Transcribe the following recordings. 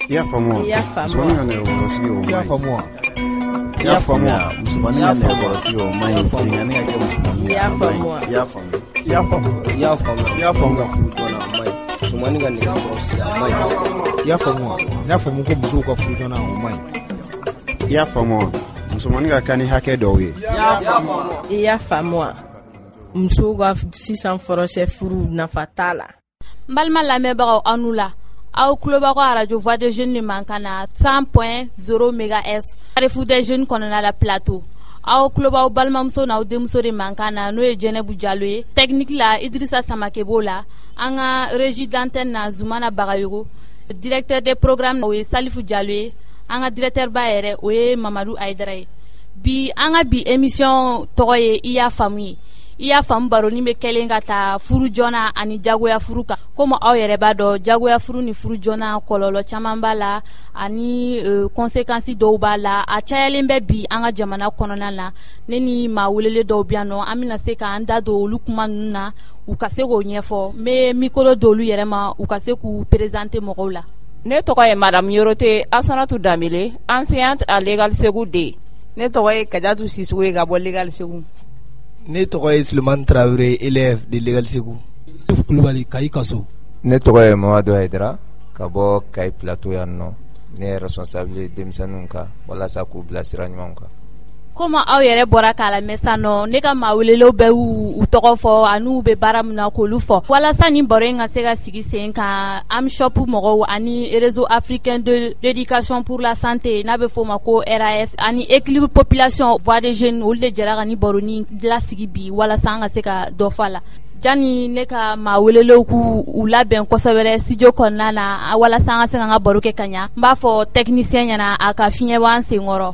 I y'a faamu wa? I y'a faamu wa? Musomanin ka nɛgɛkɔrɔsigi o I y'a man ɲi. faamu wa? I y'a faamu wa? Musomanin ka nɛgɛkɔrɔsigi o man ɲi. Binkanni ka kɛ musomanin I y'a kan, o man faamu wa? ɲi. I y'a faamu. I y'a faamu. I y'a faamu. I y'a faamu. ka furu joona a man ɲi. Musomanin ka nɛgɛkɔrɔsigi a man ɲi. I y'a faamu wa? N y'a faamu ko musow ka furu joona o man ɲi. I y'a faamu wa? Musomanin ka kan ni hakɛ dɔw ye. I y'a faamu wa? Musow ka sisan fɔrɔsɛ furu nafa t'a la. N balima lamɛnbagaw aw nu la aw tulobakɔ arajo voix des jeunes de mankan na 100.0 megahertz Carrefour des jeunes kɔnɔna la plateau aw tulobaw balimamuso n'aw denmuso de mankan na n'o ye Jɛnɛbu Jalo ye technique la Idrissa Samake b'o la an ka régie d'antenne na Zumana Bagayogo directeur des programmes o ye Salifu Jalo ye an ka directeur ba yɛrɛ o ye Mamadu Ayidara ye bi an ka bi émission tɔgɔ ye i y'a faamu ye i y'a faamu baroni bɛ kɛlen ka taa furu joona ani jagoya furu kan komi aw yɛrɛ b'a dɔn jagoya furu ni furu joona kɔlɔlɔ caman b'a la ani euh, conséquences dɔw b'a la a cayalen bɛ bi an ka jamana kɔnɔna na ne ni maa welele dɔw bɛ yan nɔ an bɛna se k'an da don olu kuma ninnu na u ka se k'o ɲɛfɔ n bɛ micro d'olu yɛrɛ ma u ka se k'u présenter mɔgɔw la. Ne tɔgɔ ye madame Yorote Asanatu Danbele enseignante à l'école Segu D. Ne tɔgɔ ye Kajatu Sisoko ye ka bɔ l'école Segu. Ne tɔgɔ ye Sulemani Tarawele élève de l'école Segu. Yusuf Kulubali Kayi Kaso. Ne tɔgɔ ye Mamadu Hayidara ka bɔ Kayi Plateau yan nɔ. Ne ye responsable ye denmisɛnninw kan walasa k'u bila sira ɲumanw kan. Komi aw yɛrɛ bɔra k'a lamɛn sisan nɔ ne ka maa welelew bɛɛ y'u u tɔgɔ fɔ an'u bɛ baara min na k'olu fɔ walasa nin baro in ka se ka sigi sen kan AMSHOP mɔgɔw ani réseau africain de l'éducation pour la santé n'a bɛ f'o ma ko RAS ani équilibre population voix des jeunes olu de jɛra ka nin baroni lasigi bi walasa an ka se ka dɔ fɔ a la jani ne ka maa welelew k'u u labɛn kosɛbɛ studio kɔnɔna na walasa an ka se k'an ka baro kɛ ka ɲa n b'a fɔ technicien ɲɛna a ka fiɲɛ bɔ an senkɔrɔ.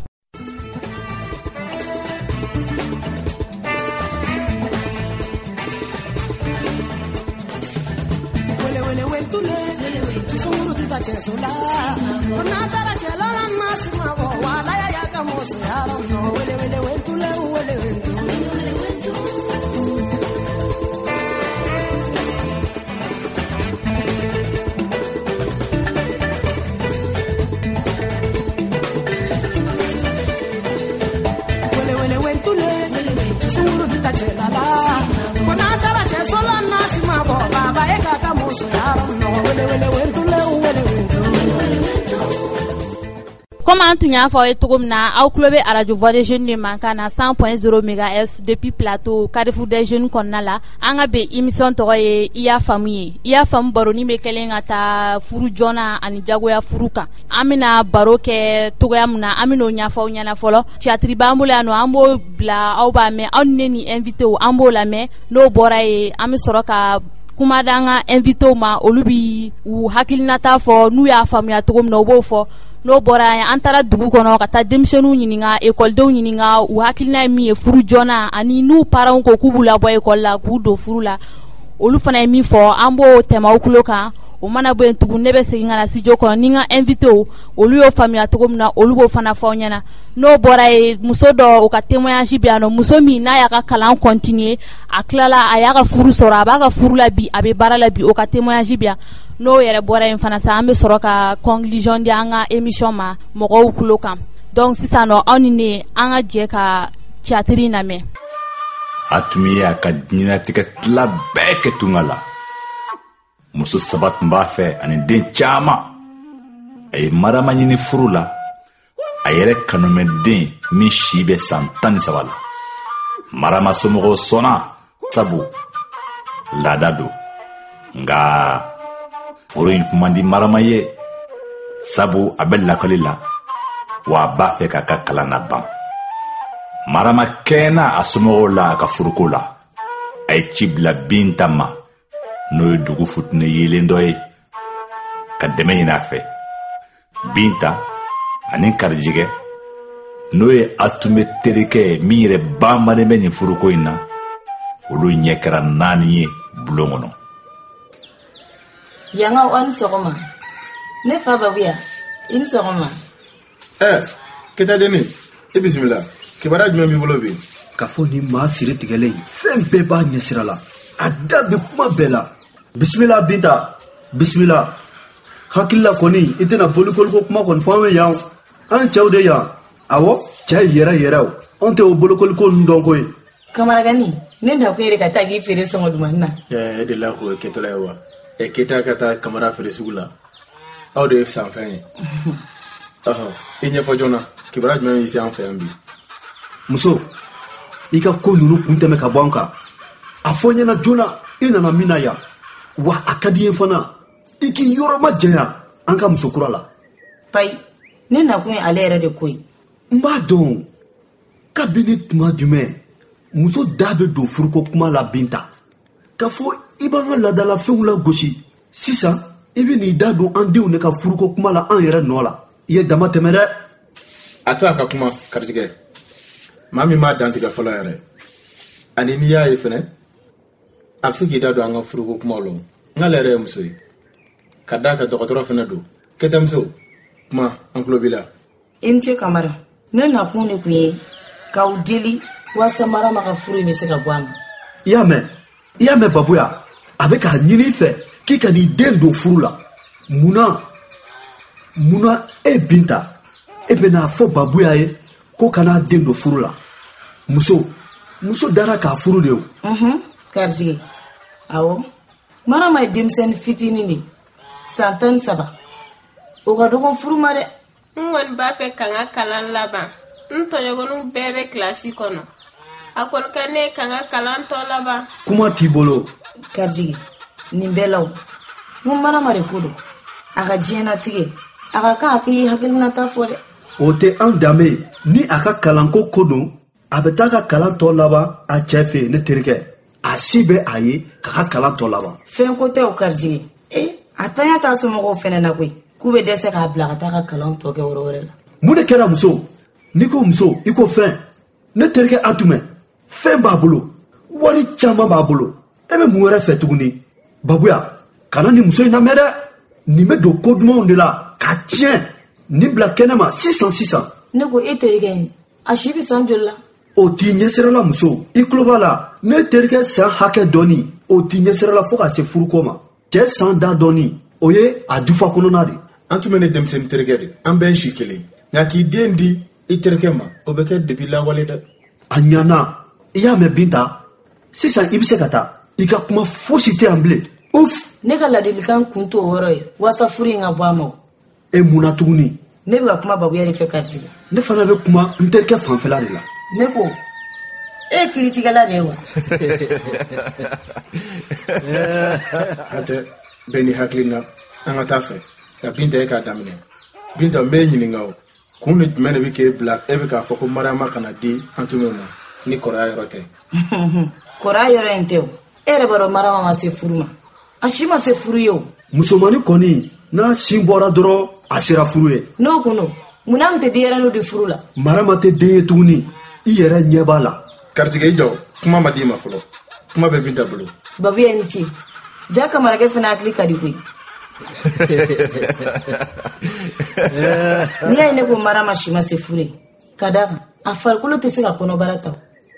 Komi an tun y'a fɔ aw ye cogo min na aw tulo bɛ arajo voix des jeunes de mankan na 100.0 megahertz depuis plateau Carrefour des jeunes kɔnɔna la an ka bi émission tɔgɔ ye i y'a faamu ye i y'a faamu baroni bɛ kɛlen ka taa furu joona ani jagoya furu kan an bɛna baro kɛ togoya min na an bɛn'o ɲɛfɔ aw ɲɛna fɔlɔ théâtre b'an bolo yan nɔ an b'o bila aw b'a mɛn aw ni ne ni invité an b'o lamɛn n'o bɔra yen an bɛ sɔrɔ ka kuma d'an ka invité ma olu bi u hakilinata fɔ n'u y'a faamuya cogo min na u b'o fɔ n'o bɔra yen an taara dugu kɔnɔ ka taa denmisɛnninw ɲininka ekɔlidenw ɲininka u hakilina ye min ye furu joona ani n'u parents ko k'u b'u labɔ ekɔli la k'u don furu la olu fana ye min fɔ an b'o tɛmɛ aw tulo kan o mana bɔ yen tugun ne bɛ segin ka na studio kɔnɔ ni n ka invité olu y'o faamuya cogo min na olu b'o fana fɔ aw ɲɛna n'o bɔra yen muso dɔ o ka témoignage bɛ yan nɔ muso min n'a y'a ka kalan continuer a tilala a y'a ka furu sɔrɔ a b'a ka furu la bi a bɛ baara la bi o ka témoignage bɛ yan n'o yɛrɛ bɔra yen fana sa an bɛ sɔrɔ ka conclusion di an ka émission ma mɔgɔw tulo kan donc sisan nɔ aw ni ne an ka jɛ ka théâtre in lamɛn. A tun ye a ka diɲɛlatigɛ tila bɛɛ kɛ tunga la. Muso saba tun b'a fɛ ani den caman. A ye Marama ɲini furu la, a yɛrɛ kanumɛden min si bɛ san 13 la. Marama somɔgɔw sɔnna sabu laada don. Nka furu in tun man di Marama ye sabu a bɛ lakɔli la wa a b'a fɛ k'a ka kalan laban. Marama kɛɲɛna a somɔgɔw la a ka furuko la. A ye ci bila Binta ma n'o ye dugu futinɛ yelen dɔ ye ka dɛmɛ ɲini a fɛ. Binta ani Karijigɛ n'o ye Atunbɛ terikɛ ye min yɛrɛ banbannen bɛ nin furuko in na olu ɲɛ kɛra naani ye bulon kɔnɔ. Yangaw aw ni sɔgɔma ne fa babuya i ni sɔgɔma. Ɛ Keta denni i bisimila kibaruya jumɛn b'i bolo bi. K'a fɔ nin maa siri tigɛlen fɛn bɛɛ b'a ɲɛsira la a da bɛ kuma bɛɛ la bisimila Binta bisimila. Hakili la kɔni i tɛna bolokoliko kuma kɔni fɔ an ye yan. An cɛw de yan. Awɔ, cɛ yɛrɛ yɛrɛw. Anw tɛ o bolokoliko ninnu dɔn koyi. Kamaragani, ne nakun ye de ka taa k'i feere sɔngɔ dumanni na. E delila k'o kɛtɔla ye wa? Keyita ka taa Kamara feere sugu la. Aw de ye sanfɛn ye. Ɔhɔ, i ɲɛfɔ joona, kibaruya jumɛn y'i se an fɛ yan bi? Muso, i ka ko ninnu kun tɛmɛ ka bɔ an kan. A fɔ n ɲɛna joona i nana min na yan. Wa a ka di n ye fana i k'i yɔrɔ majanya an ka muso kura la. Payi, ne nakun ye ale yɛrɛ de ko ye. N b'a dɔn kabini tuma jumɛn muso da bɛ don furuko kuma la Binta. K'a fɔ i b'an ka laadalafɛnw lagosi sisan i bɛ n'i da don an denw de ka furuko kuma la an yɛrɛ nɔ la. I ye dama tɛmɛ dɛ. A to a ka kuma garijɛgɛ. Maa min m'a dantigɛ fɔlɔ yɛrɛ. Ani n'i y'a ye fɛnɛ, a bɛ se k'i da don an ka furuko kumaw la. N'ale yɛrɛ ye muso ye. Ka d'a kan dɔgɔtɔrɔ fɛnɛ don. Kɛtɛmuso, kuma an tulo b'i la. I ni ce Kamara. Ne nakun de tun ye k'aw deli walasa Marama ka furu in bɛ se ka bɔ a ma. I y'a mɛn? I y'a mɛn Babuya? A bɛ k'a ɲini i fɛ k'i ka n'i den don furu la. Mun na? Mun na e Binta, e bɛn'a fɔ Babuya ye ko kan'a den don furu la? Muso, muso dara k'a furu de o. Garijɛgɛ. Awɔ. Marama ye denmisɛnnin fitinin de ye. San 13. O ka dɔgɔn furu ma dɛ. N kɔni b'a fɛ ka n ka kalan laban. N tɔɲɔgɔnninw bɛɛ bɛ kilasi kɔnɔ. A kɔni ka ne ye ka n ka kalan tɔ laban. Kuma t'i bolo. Garijɛgɛ, nin bɛɛ la o. N ko Marama de ko don. A ka diɲɛnatigɛ, a ka kan a k'i hakilinata fɔ dɛ. O tɛ an danbe ye. Ni a ka kalanko ko don, a bɛ taa ka kalan tɔ laban a cɛ fɛ yen, ne terikɛ. A si bɛ a ye k'a ka kalan tɔ laban. Fɛn ko tɛ o Garijɛgɛ. A tanya t'a somɔgɔw fɛnɛ na koyi. K'u bɛ dɛsɛ k'a bila ka taa ka kalan tɔ kɛ yɔrɔ wɛrɛ la. Mun de kɛra muso? N'i ko muso, i ko fɛn. Ne terikɛ Atumɛ, fɛn b'a bolo, wari caman b'a bolo. E bɛ mun wɛrɛ fɛ tuguni? Babuya, kana nin muso in lamɛn dɛ. Nin bɛ don ko dumanw de la k'a tiɲɛ. Nin bila kɛnɛ ma sisan sisan. Ne ko e terikɛ in, a si bɛ san joli la? O t'i ɲɛsirala muso. I tulo b'a la, ne terikɛ san hakɛ dɔɔni, o t'i ɲɛsirala fo ka se furuko ma. Cɛ san da dɔɔni, o ye a dufa kɔnɔna de. An tun bɛ ne denmisɛnnin terikɛ de. An bɛɛ ye si kelen. Nka k'i den di i terikɛ ma, o bɛ kɛ depi lawale dɛ. A ɲana, i y'a mɛn Binta? Sisan i bɛ se ka taa. I ka kuma fosi tɛ yan bilen. Uf! Ne ka ladilikan kun t'o yɔrɔ ye, walasa furu in ka bɔ a ma o. E mun na tuguni? Ne bɛ ka kuma Babuya de fɛ Garijɛgɛ. Ne fana bɛ kuma n terikɛ fanfɛla de la. Ne ko, e ye kiiritigɛla de ye wa? Hatɛ, bɛɛ n'i hakilina, an ka taa fɛ. Nka Binta e k'a daminɛ. Binta, n b'e ɲininka o. Kun de jumɛn de bɛ k'e bila e bɛ k'a fɔ ko Mariama kana di Antumɛ ma ni kɔrɔya yɔrɔ tɛ? Kɔrɔya yɔrɔ in tɛ o. E yɛrɛ b'a dɔn Mariama ma se furu ma. A si ma se furu ye o. Musomannin kɔni n'a sin bɔra dɔrɔn a sera furu ye. N'o kun don, munna an tɛ denyɛrɛninw di furu la? Mariama tɛ den ye tuguni. I yɛrɛ ɲɛ b'a la. Garijɛgɛ i jɔ, kuma ma d'i ma fɔlɔ. Kuma bɛ Binta bolo. Babuya ni ce. Ja Kamarakɛ fana hakili ka di koyi. N'i y'a ye ne ko Mariama si ma se furu ye, ka d'a kan a farikolo tɛ se ka kɔnɔbara ta.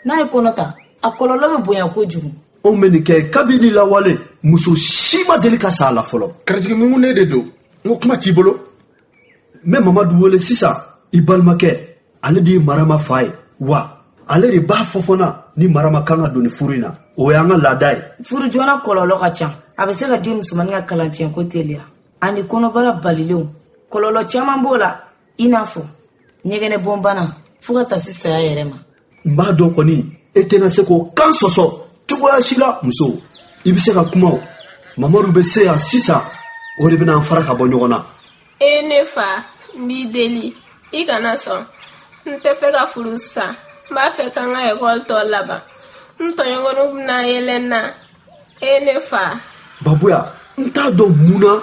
N'a ye kɔnɔ ta, a kɔlɔlɔ bɛ bonya kojugu. Anw bɛ nin kɛ kabini lawale, muso si ma deli ka sa a la fɔlɔ. Garijɛgɛ mun ne de don? N ko kuma t'i bolo. N bɛ Mamadu wele sisan, i balimakɛ, ale de ye Mariama fa ye. Wa ale de b'a fɔ fana ni Mariama kan ka don nin furu in na. O y'an ka laada ye. Furu joona kɔlɔlɔ ka ca. A bɛ se ka den musomannin ka kalancɛnko teliya. Ani kɔnɔbara balilenw. Kɔlɔlɔ caman b'o la, i n'a fɔ ɲɛgɛnɛbɔnbana fo ka taa se saya yɛrɛ ma. N b'a dɔn kɔni, e tɛna se k'o kan sɔsɔ cogoya si la, muso. I bɛ se ka kuma o. Mamadu bɛ se yan sisan, o de bɛna an fara ka bɔ ɲɔgɔn na. E ne fa, n b'i deli, i kana sɔn. N tɛ fɛ ka furu sisan. N b'a fɛ ka n ka ekɔli tɔ laban. N tɔɲɔgɔnninw bɛna yɛlɛ n na. E ne fa. Babuya, n t'a dɔn mun na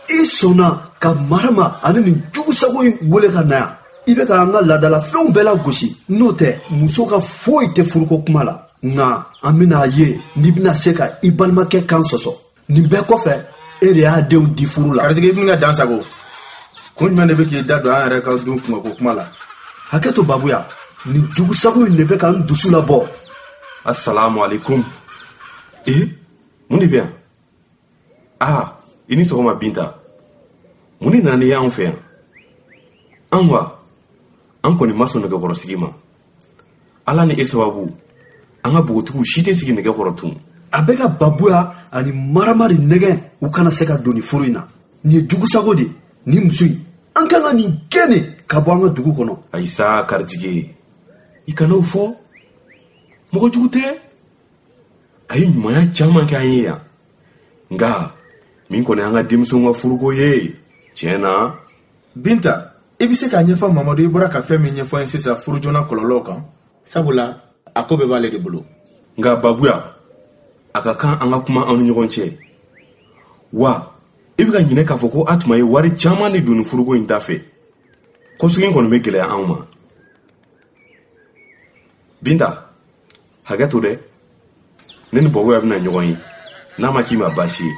i sɔnna ka Mariama ani nin jugusago in wele ka na yan. I bɛ ka an ka laadalafɛnw bɛɛ lagosi. N'o tɛ, muso ka foyi tɛ furuko kuma la. Nka an bɛna a ye n'i bɛna se ka i balimakɛ kan sɔsɔ. Nin bɛɛ kɔfɛ, e de y'a denw di furu la. Garijɛgɛ, i bɛna dan sago. Kun jumɛn de bɛ k'i da don an yɛrɛ ka du kunkanko kuma la? Hakɛ to Babuya, nin jugusago in de bɛ ka n dusu labɔ. Assalamu alaikum. Mun de bɛ yan? Ah, i ni sɔgɔma Binta. Mun de nana n'i ye anw fɛ yan? An wa, an kɔni ma sɔn nɛgɛkɔrɔsigi ma. Ala ni e sababu, an ka npogotigiw si tɛ sigi nɛgɛ kɔrɔ tun. A bɛ ka Babuya ani Marama de nɛgɛn u kana se ka don nin furu in na. Nin ye jugusago de ye, nin muso in. An kan ka nin gɛn de ka bɔ an ka dugu kɔnɔ. Ayi sa, Karijige, i kana o fɔ. Mɔgɔ jugu tɛ. A ye ɲumanya caman kɛ an ye yan. Nka min kɔni an ka denmisɛnw ka furuko ye, tiɲɛ na. Binta, i bɛ se k'a ɲɛfɔ Mamadu i bɔra ka fɛn min ɲɛfɔ n ye sisan furu joona kɔlɔlɔw kan? Sabula a ko bɛɛ b'ale de bolo. Nka Babuya, a ka kan an ka kuma anw ni ɲɔgɔn cɛ. Wa i bɛ ka ɲinɛ k'a fɔ ko Atuma ye wari caman de don nin furuko in da fɛ. Kɔsegin kɔni bɛ gɛlɛya anw ma. Binta, hakɛ to dɛ. Ne ni Babuya bɛna ɲɔgɔn ye n'a ma k'i ma baasi ye.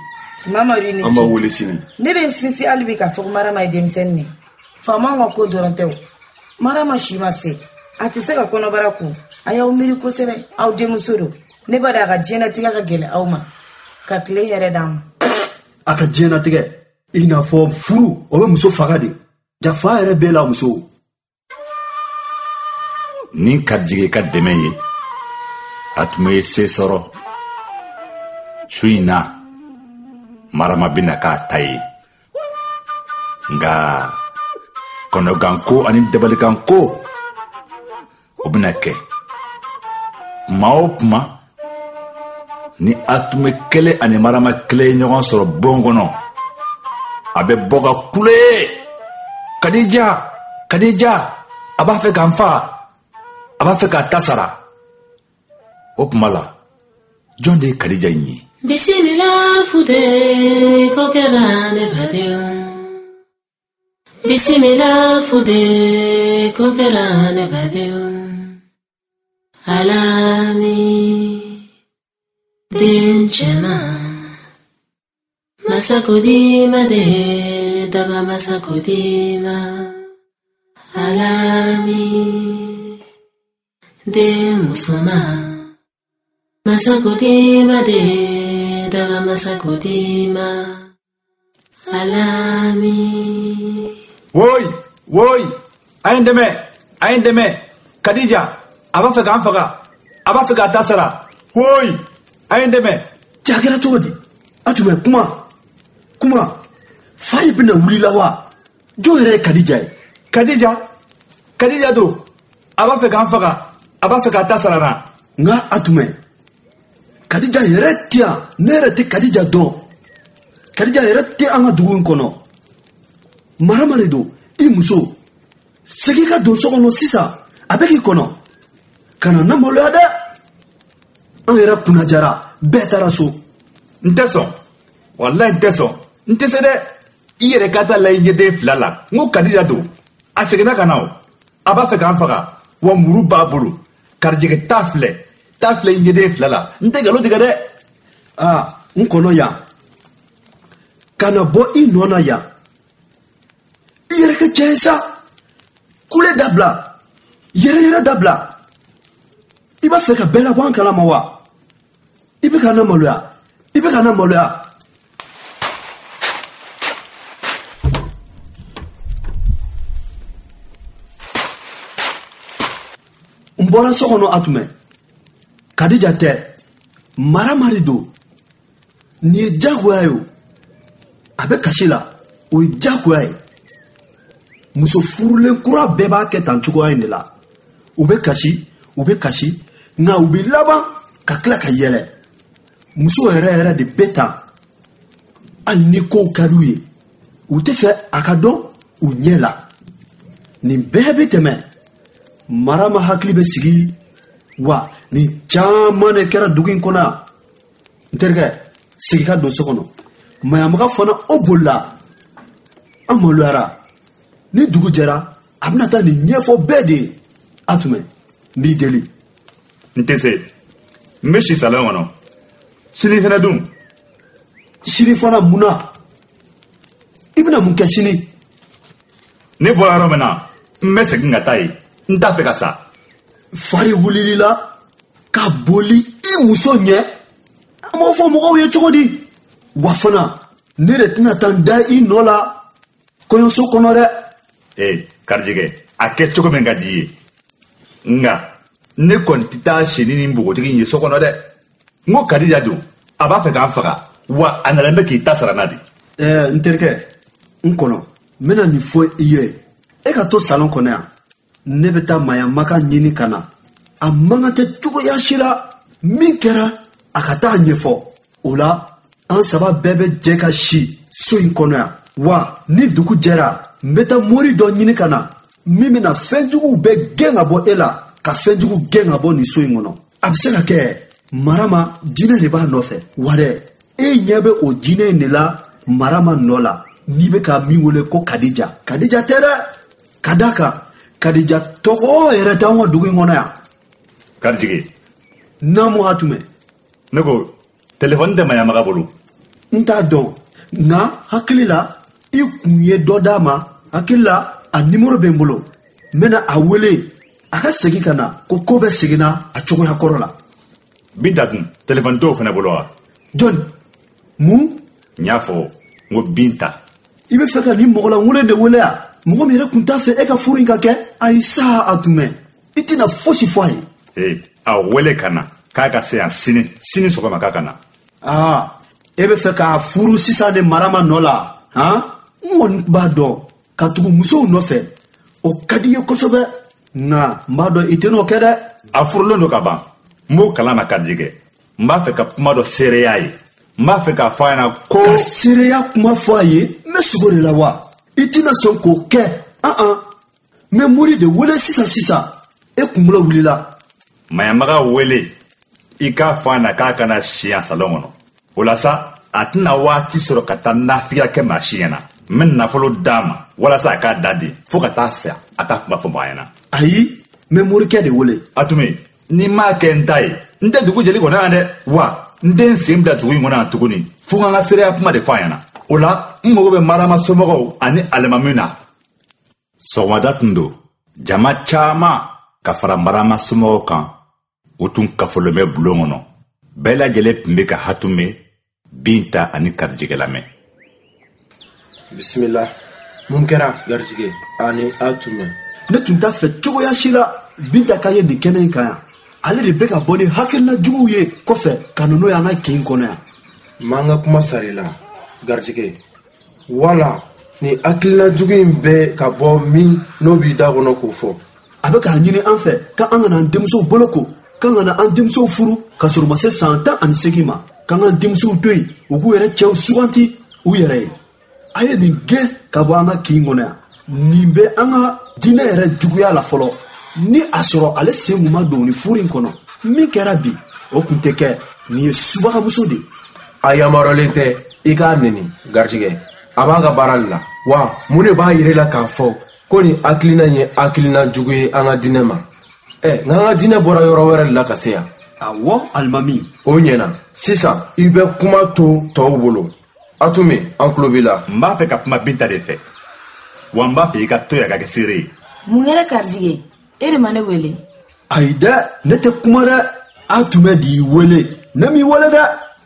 Mamadu i ni ce. An b'aw wele sini. Ne bɛ n sinsin hali bi k'a fɔ ko Marama ye denmisɛnnin de ye. Faamaw ka ko dɔrɔn tɛ o. Marama si ma se. A tɛ se ka kɔnɔbara kun. A y'aw miiri kosɛbɛ. Aw denmuso don. Ne b'a dɔn a ka diɲɛnatigɛ ka gɛlɛn aw ma. Ka tile hɛrɛ d'an ma. A ka diɲɛnatigɛ, i n'a fɔ furu, o bɛ muso faga de. Jafa yɛrɛ b'e la muso. Ni Karijige ka dɛmɛ ye, a tun bɛ se sɔrɔ. Su in na, Marama bɛna k'a ta ye. Nka kɔnɔganko ani dabalikanko, o bɛna kɛ. Kuma o kuma, ni Atumɛ kelen ani Marama kelen ye ɲɔgɔn sɔrɔ bon kɔnɔ, a bɛ bɔ ka kule. Kadija, Kadija, a b'a fɛ ka n faga, a b'a fɛ k'a ta sara. O tuma la, jɔn de ye Kadija in ye? Bisimila fude ko kɛra ne badenw. Bisimila fude ko kɛra ne badenw. Alami den cɛman. Masako di ma de daba masako di ma. Alami den musoman. Masako di ma de daba masako di ma. Alami. Woyi, woyi, a ye n dɛmɛ, a ye n dɛmɛ. Kadija, a b'a fɛ k'an faga, a b'a fɛ k'a ta sara. Woyi, a ye n dɛmɛ. Cɛ, a kɛra cogo di? A tun bɛ kuma, kuma. Fa in bɛna wuli la wa? Jɔn yɛrɛ ye Kadija ye? Kadija, Kadija don. A b'a fɛ k'an faga, a b'a fɛ k'a ta sara na. Nka a tun bɛ Kadija yɛrɛ tɛ yan, ne yɛrɛ tɛ Kadija dɔn. Kadija yɛrɛ tɛ an ka dugu in kɔnɔ. Marama de don, i muso. Segin ka don so kɔnɔ sisan, a bɛ k'i kɔnɔ. Kana na maloya dɛ. An yɛrɛ kunnajara, bɛɛ taara so. N tɛ sɔn, walayi n tɛ sɔn, n tɛ se dɛ. I yɛrɛ ka taa lajɛ ɲɛden fila la. N ko Kadija don, a seginna ka na o. A b'a fɛ k'an faga, wa muru b'a bolo. Karijɛgɛ t'a filɛ, t'a filɛ i ɲɛden fila la. N tɛ nkalon tigɛ dɛ. Aa, n kɔnɔ yan. Kana bɔ i nɔ na yan. I yɛrɛ kɛ cɛ ye sa. Kule dabila, yɛrɛ yɛrɛ dabila. I b'a fɛ ka bɛɛ labɔ an kalama wa? I bɛ ka na maloya, i bɛ ka na maloya. N bɔra so kɔnɔ Atumɛ. Kadija tɛ, Marama de don. Nin ye diyagoya ye o. A bɛ kasi la, o ye diyagoya ye. Muso furulen kura bɛɛ b'a kɛ tan cogoya in de la. U bɛ kasi, u bɛ kasi, nka u bɛ laban ka tila ka yɛlɛ. Muso yɛrɛ yɛrɛ de bɛ tan. Hali ni kow ka d'u ye, u tɛ fɛ a ka dɔn u ɲɛ la. Nin bɛɛ bɛ tɛmɛ. Marama hakili bɛ sigi wa nin caman de kɛra dugu in kɔnɔ yan. N terikɛ, segin ka don so kɔnɔ. Maɲamaga fana o bolila. An maloyara. Ni dugu jɛra, a bɛna taa nin ɲɛfɔ bɛɛ de ye. Atumɛ, n b'i deli. N tɛ se. N bɛ si salon kɔnɔ. Sini fana dun? Sini fana mun na? I bɛna mun kɛ sini? Ne bɔra yɔrɔ min na, n bɛ segin ka taa yen. N t'a fɛ ka sa. Fari wulili la ka boli i muso ɲɛ. An b'o fɔ mɔgɔw ye cogo di? Wa fana, ne de tɛna taa n da i nɔ la. kɔɲɔso kɔnɔ dɛ. Ee Karijigɛ, a kɛ cogo min ka di i ye, nka ne kɔni tɛ taa si ni nin npogotigi in ye so kɔnɔ dɛ. N ko Kadija don, a b'a fɛ k'an faga, wa a nalen bɛ k'i ta sara n na de. Ɛɛ n terikɛ, n kɔnɔ, n bɛna nin fɔ i ye. E ka to salon kɔnɔ yan, ne bɛ taa Maɲamaka ɲini ka na. A man kan tɛ cogoya si la min kɛra a ka taa ɲɛfɔ. O la an saba bɛɛ bɛ jɛ ka si so in kɔnɔ yan. Wa ni dugu jɛra, n bɛ taa mori dɔ ɲini ka na min bɛna fɛnjuguw bɛɛ gɛn ka bɔ e la, ka fɛnjugu gɛn ka bɔ nin so in kɔnɔ. A bɛ se ka kɛ Marama jinɛ de b'a nɔfɛ. Wa dɛ, e ɲɛ bɛ o jinɛ in de la Marama nɔ la, n'i bɛ ka min wele ko Kadija. Kadija tɛ dɛ, ka d'a kan Kadija tɔgɔ yɛrɛ tɛ anw ka dugu in kɔnɔ yan. Karijigɛ. Naamu Hatumɛ. Ne ko telefɔni tɛ Maɲamaga bolo. N t'a dɔn, nka hakili la i kun ye dɔ d'a ma. Hakili la a nimoro bɛ n bolo, n bɛna a wele a ka segin ka na ko ko bɛ seginna a cogoya kɔrɔ la. Binta dun, telefɔni t'o fana bolo wa? Jɔni? Mun? N y'a fɔ n ko Binta. I bɛ fɛ ka nin mɔgɔlankolon de wele wa? Mɔgɔ min yɛrɛ kun t'a fɛ e ka furu in ka kɛ. Ayi sa Hatumɛ, i tɛna fosi fɔ a ye. Ee, a wele ka na k'a ka se yan sini, sini sɔgɔma k'a ka na. Aa, e bɛ fɛ k'a furu sisan de Marama nɔ la, han? N kɔni b'a dɔn ka tugu musow nɔfɛ, o ka di i ye kosɛbɛ, nka n b'a dɔn i tɛn'o kɛ dɛ. A furulen don ka ban, n b'o kalama Karijigɛ. N b'a fɛ ka kuma dɔ seereya ye. N b'a fɛ k'a fɔ a ɲɛna ko. Ka seereya kuma fɔ a ye, n bɛ sugo de la wa? I tɛna sɔn k'o kɛ. An an, n bɛ mori de wele sisan sisan. E kunkolo wulila. Maɲamaga wele, i k'a fɔ a ɲɛna k'a kana si yan salon kɔnɔ. O la sa, a tɛna waati sɔrɔ ka taa nafigiya kɛ maa si ɲɛna. N bɛ nafolo d'a ma walasa a k'a da den fo ka taa sa, a t'a kuma fɔ maa ɲɛna. Ayi, n bɛ morikɛ de wele. Atume, n'i m'a kɛ n ta ye, n tɛ dugu jeli kɔnɔ yan dɛ. Wa n tɛ n sen bila dugu in kɔnɔ yan tuguni fo n ka n ka seereya kuma de fɔ a ɲɛna. O la, n mago bɛ Marama somɔgɔw ani alimami na. Sɔgɔmada tun don, jama caman ka fara Marama somɔgɔw kan, u tun kafolen bɛ bulon kɔnɔ. Bɛɛ lajɛlen tun bɛ ka Hatume, Binta ani Karijigɛ lamɛn. Bisimila. Mun kɛra Garijigɛ ani Hatume? Ne tun t'a fɛ cogoya si la Binta ka ye nin kɛnɛ in kan yan. Ale de bɛ ka bɔ ni hakilina juguw ye kɔfɛ ka na n'o ye an ka kin kɔnɔ yan. M'an ka kuma sara i la Garijigɛ. Wala ni hakilina jugu in bɛ ka bɔ min n'o b'i da kɔnɔ k'o fɔ. A bɛ k'a ɲini an fɛ k'an kana an denmusow boloko, k'an kana an denmusow furu ka sɔrɔ u ma se san 18 ma, k'an k'an denmusow to yen u k'u yɛrɛ cɛw suganti u yɛrɛ ye. A ye nin gɛn ka bɔ an ka kin kɔnɔ yan. Nin bɛ an ka diinɛ yɛrɛ juguya la fɔlɔ. Ni a sɔrɔ ale sen kun ma don nin furu in kɔnɔ, min kɛra bi o kun tɛ kɛ. Nin ye subagamuso de ye. A yamaruyalen tɛ i k'a neni Garijigɛ. A b'a ka baara de la. Wa mun de b'a yira la k'a fɔ ko nin hakilina in ye hakilina jugu ye an ka diinɛ ma? Nka an ka diinɛ bɔra yɔrɔ wɛrɛ de la ka se yan. Awɔ, alimami. O ɲɛna. Sisan i bɛ kuma to tɔw bolo. Atume, an tulo b'i la. N b'a fɛ ka kuma Binta de fɛ. Wa n b'a fɛ i ka to yan ka kɛ seere ye. Mun kɛra Karijigɛ? E de ma ne wele. Ayi dɛ, ne tɛ kuma dɛ. Atume de y'i wele. Ne m'i wele dɛ.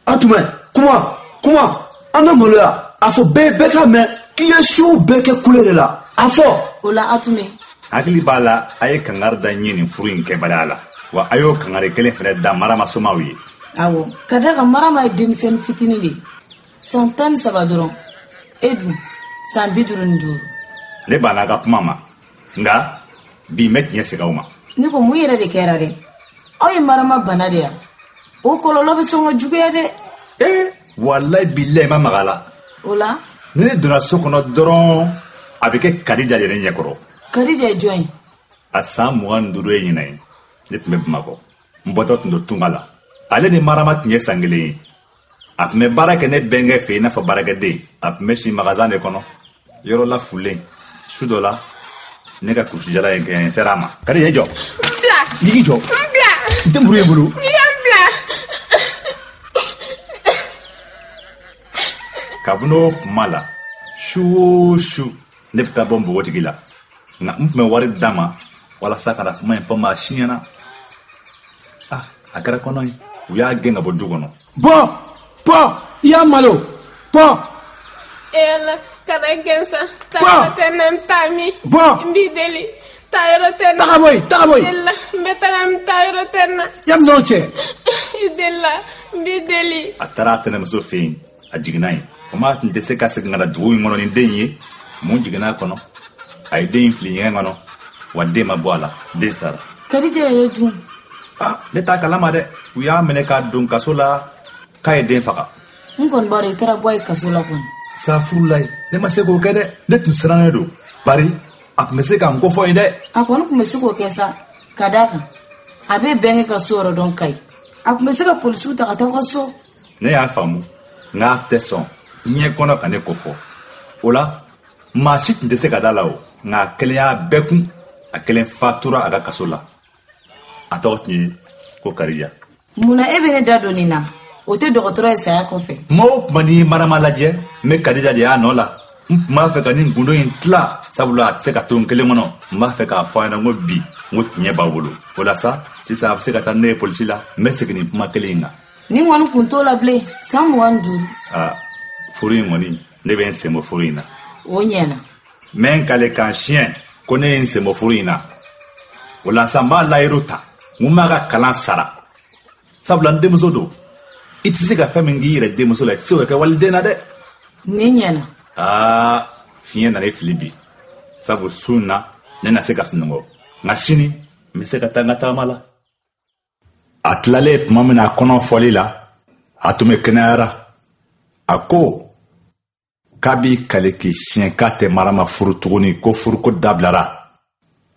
Atume, kuma, kuma. An ka maloya. A fɔ bɛɛ bɛɛ k'a mɛn k'i ye suw bɛɛ kɛ kule de la. A fɔ. O la Atume. Hakili b'a la, a ye kangari da n ye nin furu in kɛbaliya la. Wa a y'o kangari kelen fɛnɛ da Marama somaw ye. Awɔ, ka d'a kan Marama ye denmisɛnnin fitinin de ye. San 13 dɔrɔn. E dun, san 55. Ne banna a ka kuma ma, nka bi n bɛ tiɲɛ segin aw ma. Ne ko mun yɛrɛ de kɛra dɛ? Aw ye Marama bana de ya? O kɔlɔlɔ bɛ sɔn ka juguya dɛ. Ee, walayi bilayi ma maga a la. O la? Ni ne donna so kɔnɔ dɔrɔn, a bɛ kɛ Kadija de ne ɲɛkɔrɔ. Kadija ye jɔn ye? A san 25 ye ɲinan ye. Ne tun bɛ Bamakɔ. N bɔtɔ tun don tunga la. Ale ni Marama tun ye san kelen ye. A tun bɛ baara kɛ ne bɛnkɛ fɛ i n'a fɔ baarakɛden. A tun bɛ si magasan de kɔnɔ, yɔrɔ la fulen. Su dɔ la, ne ka kurusijala ye kɛ n sera a ma. Kadija, i jɔ. N bila. I k'i jɔ. N bila. N tɛ muru ye n bolo. I ka n bila. Kabini o kuma la, su o su ne bɛ taa bɔ npogotigi la. Nka n tun bɛ wari d'a ma walasa ka na kuma in fɔ maa si ɲɛna. Ah, a kɛra kɔnɔ ye. U y'a gɛn ka bɔ du kɔnɔ. Bɔ, bɔ, i y'a malo. Bɔ. E Ala, kana n gɛn sa. Taa yɔrɔ tɛ n na, n bɛ taa min? Bɔ! N b'i deli. Taa yɔrɔ tɛ n na. Taga bɔ yen, taga bɔ yen. I delila, n bɛ taga, n taa yɔrɔ tɛ n na. Yanni ɲɔgɔn cɛ. I delila, n b'i deli. A taara a tɛnɛmuso fɛ yen, a jiginna yen. Komi a tun tɛ se ka segin ka na dugu in kɔnɔ ni den ye, mun jiginna a kɔnɔ? A ye den in fili ɲɛgɛn kɔnɔ, wa den ma bɔ a la, den sara. Kadija yɛrɛ dun? Ah, ne t'a kalama dɛ. U y'a minɛ k'a don kaso la k'a ye den faga. N kɔni b'a dɔn i taara bɔ a ye kaso la kɔni. Safurulayi, ne ma se k'o kɛ dɛ. Ne tun sirannen don, bari a tun bɛ se ka n kofɔ yen dɛ. A kɔni tun bɛ se k'o kɛ sa, ka d'a kan a bɛ bɛnkɛ ka so yɔrɔ dɔn Kayi. A tun bɛ se ka polisiw ta ka taa aw ka so. Ne y'a faamu, nka a tɛ sɔn diɲɛ kɔnɔ ka ne kofɔ. O la, maa si tun tɛ se ka da la o, nka a kelen y'a bɛɛ kun. A kelen fatura a ka kaso la. A tɔgɔ tun ye ko Kadija. Munna e bɛ ne da don nin na? O tɛ dɔgɔtɔrɔ ye saya kɔfɛ. Tuma o tuma n'i ye Marama lajɛ, n bɛ Kadija de y'a nɔ la. N tun b'a fɛ ka nin gundo in tila, sabula a tɛ se ka to n kelen kɔnɔ. N b'a fɛ k'a fɔ a ɲɛna ko bi, n ko tiɲɛ b'aw bolo. O la sa, sisan a bɛ se ka taa ne ye polisi la. N bɛ segin nin kuma kelen in kan. Nin kɔni kun t'o la bilen, san 25. Aa, furu in kɔni, ne bɛ n sen bɔ furu in na. O ɲɛna. N bɛ n kale k'an siɲɛ ko ne ye n sen bɔ furu in na. O la sa, n b'a layiru ta, n ko n b'a ka kalan sara. Sabula n denmuso don. I tɛ se ka fɛn min k'i yɛrɛ denmuso la, i tɛ se k'o kɛ waliden na dɛ. Nin ɲɛna. Aa, fiɲɛ nana i fili bi. Sabu su in na, ne na se ka sunɔgɔ. Nka sini, n bɛ se ka taa n ka taama la. A tilalen tuma min na a kɔnɔ fɔli la, a tun bɛ kɛnɛyara. A ko k'a b'i kale k'i siɲɛ k'a tɛ Marama furu tuguni, ko furuko dabilara.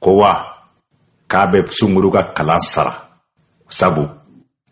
Ko wa k'a bɛ Sunguru ka kalan sara, sabu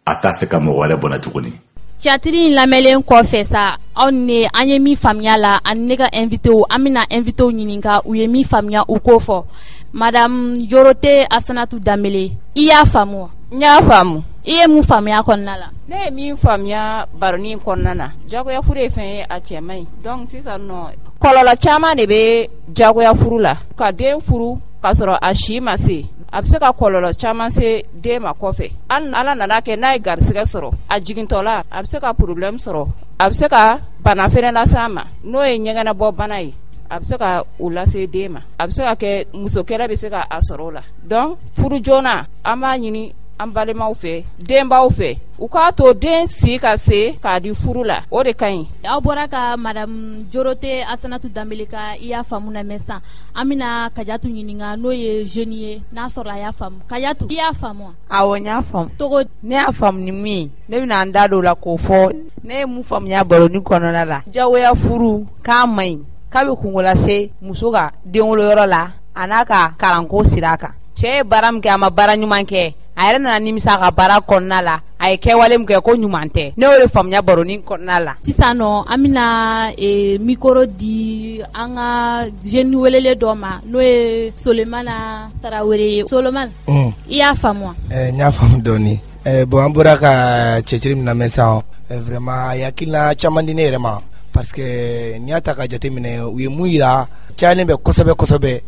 a t'a fɛ ka mɔgɔ wɛrɛ bɔnɛ tuguni. Tiyatiri in lamɛnlen kɔfɛ sa, aw ni ne, an ye min faamuya la, ani ne ka invitew, an bɛna invitew ɲininka u ye min faamuya u k'o fɔ. Madame Yorote Asanatu Danbele, i y'a faamu wa? N y'a faamu. I ye mun faamuya kɔnɔna la? Ne ye min faamuya baronin kɔnɔna na, jagoya furu ye fɛn ye a cɛ man ɲi. Donc sisan nɔ, kɔlɔlɔ caman de bɛ jagoya furu la. Ka den furu k'a sɔrɔ a si ma se, a bɛ se ka kɔlɔlɔ caman se den ma kɔfɛ. Hali Ala nana kɛ n'a ye garisɛgɛ sɔrɔ, a jigintɔla a bɛ se ka problème sɔrɔ, a bɛ se ka bana fɛnɛ lase a ma, n'o ye ɲɛgɛnɛbɔ bana ye. A bɛ se ka o lase den ma, a bɛ se ka kɛ muso kɛlɛ bɛ se ka a sɔrɔ o la. Donc furu joona, an b'a ɲini an balimaw fɛ, denbaw fɛ, u k'a to den si ka se k'a di furu la, o de ka ɲi. Aw bɔra ka madame Jorote Asanatu Danbele ka i y'a faamu na mɛn sisan, an bɛna Kajatu ɲininka n'o ye jeune ye, n'a sɔrɔ a y'a faamu. Kajatu, i y'a faamu wa? Awɔ, n y'a faamu. Togo Ne y'a faamu ni mun ye, ne bɛna n da don o la k'o fɔ. Ne ye mun faamuya baroni kɔnɔna la, jagoya furu k'a man ɲi, k'a bɛ kungo lase muso ka denwoloyɔrɔ la a n'a ka kalanko sira kan. Cɛ ye baara min kɛ, a ma baara ɲuman kɛ, a yɛrɛ nana nimisa a ka baara kɔnɔna la, a ye kɛwale min kɛ ko ɲuman tɛ. Ne y'o de faamuya baroni kɔnɔna la. Sisan nɔ, an bɛna micro di an ka jeune welelen dɔ ma, n'o ye Solemana Tarawele ye. Solemana, i y'a faamu wa? N y'a faamu dɔɔni. Bon, an bɔra ka cɛciri min lamɛn sisan, vraiment a ye hakilina caman di ne yɛrɛ ma, parce que n'i y'a ta ka jateminɛ, u ye mun yira cayalen bɛ kosɛbɛ kosɛbɛ.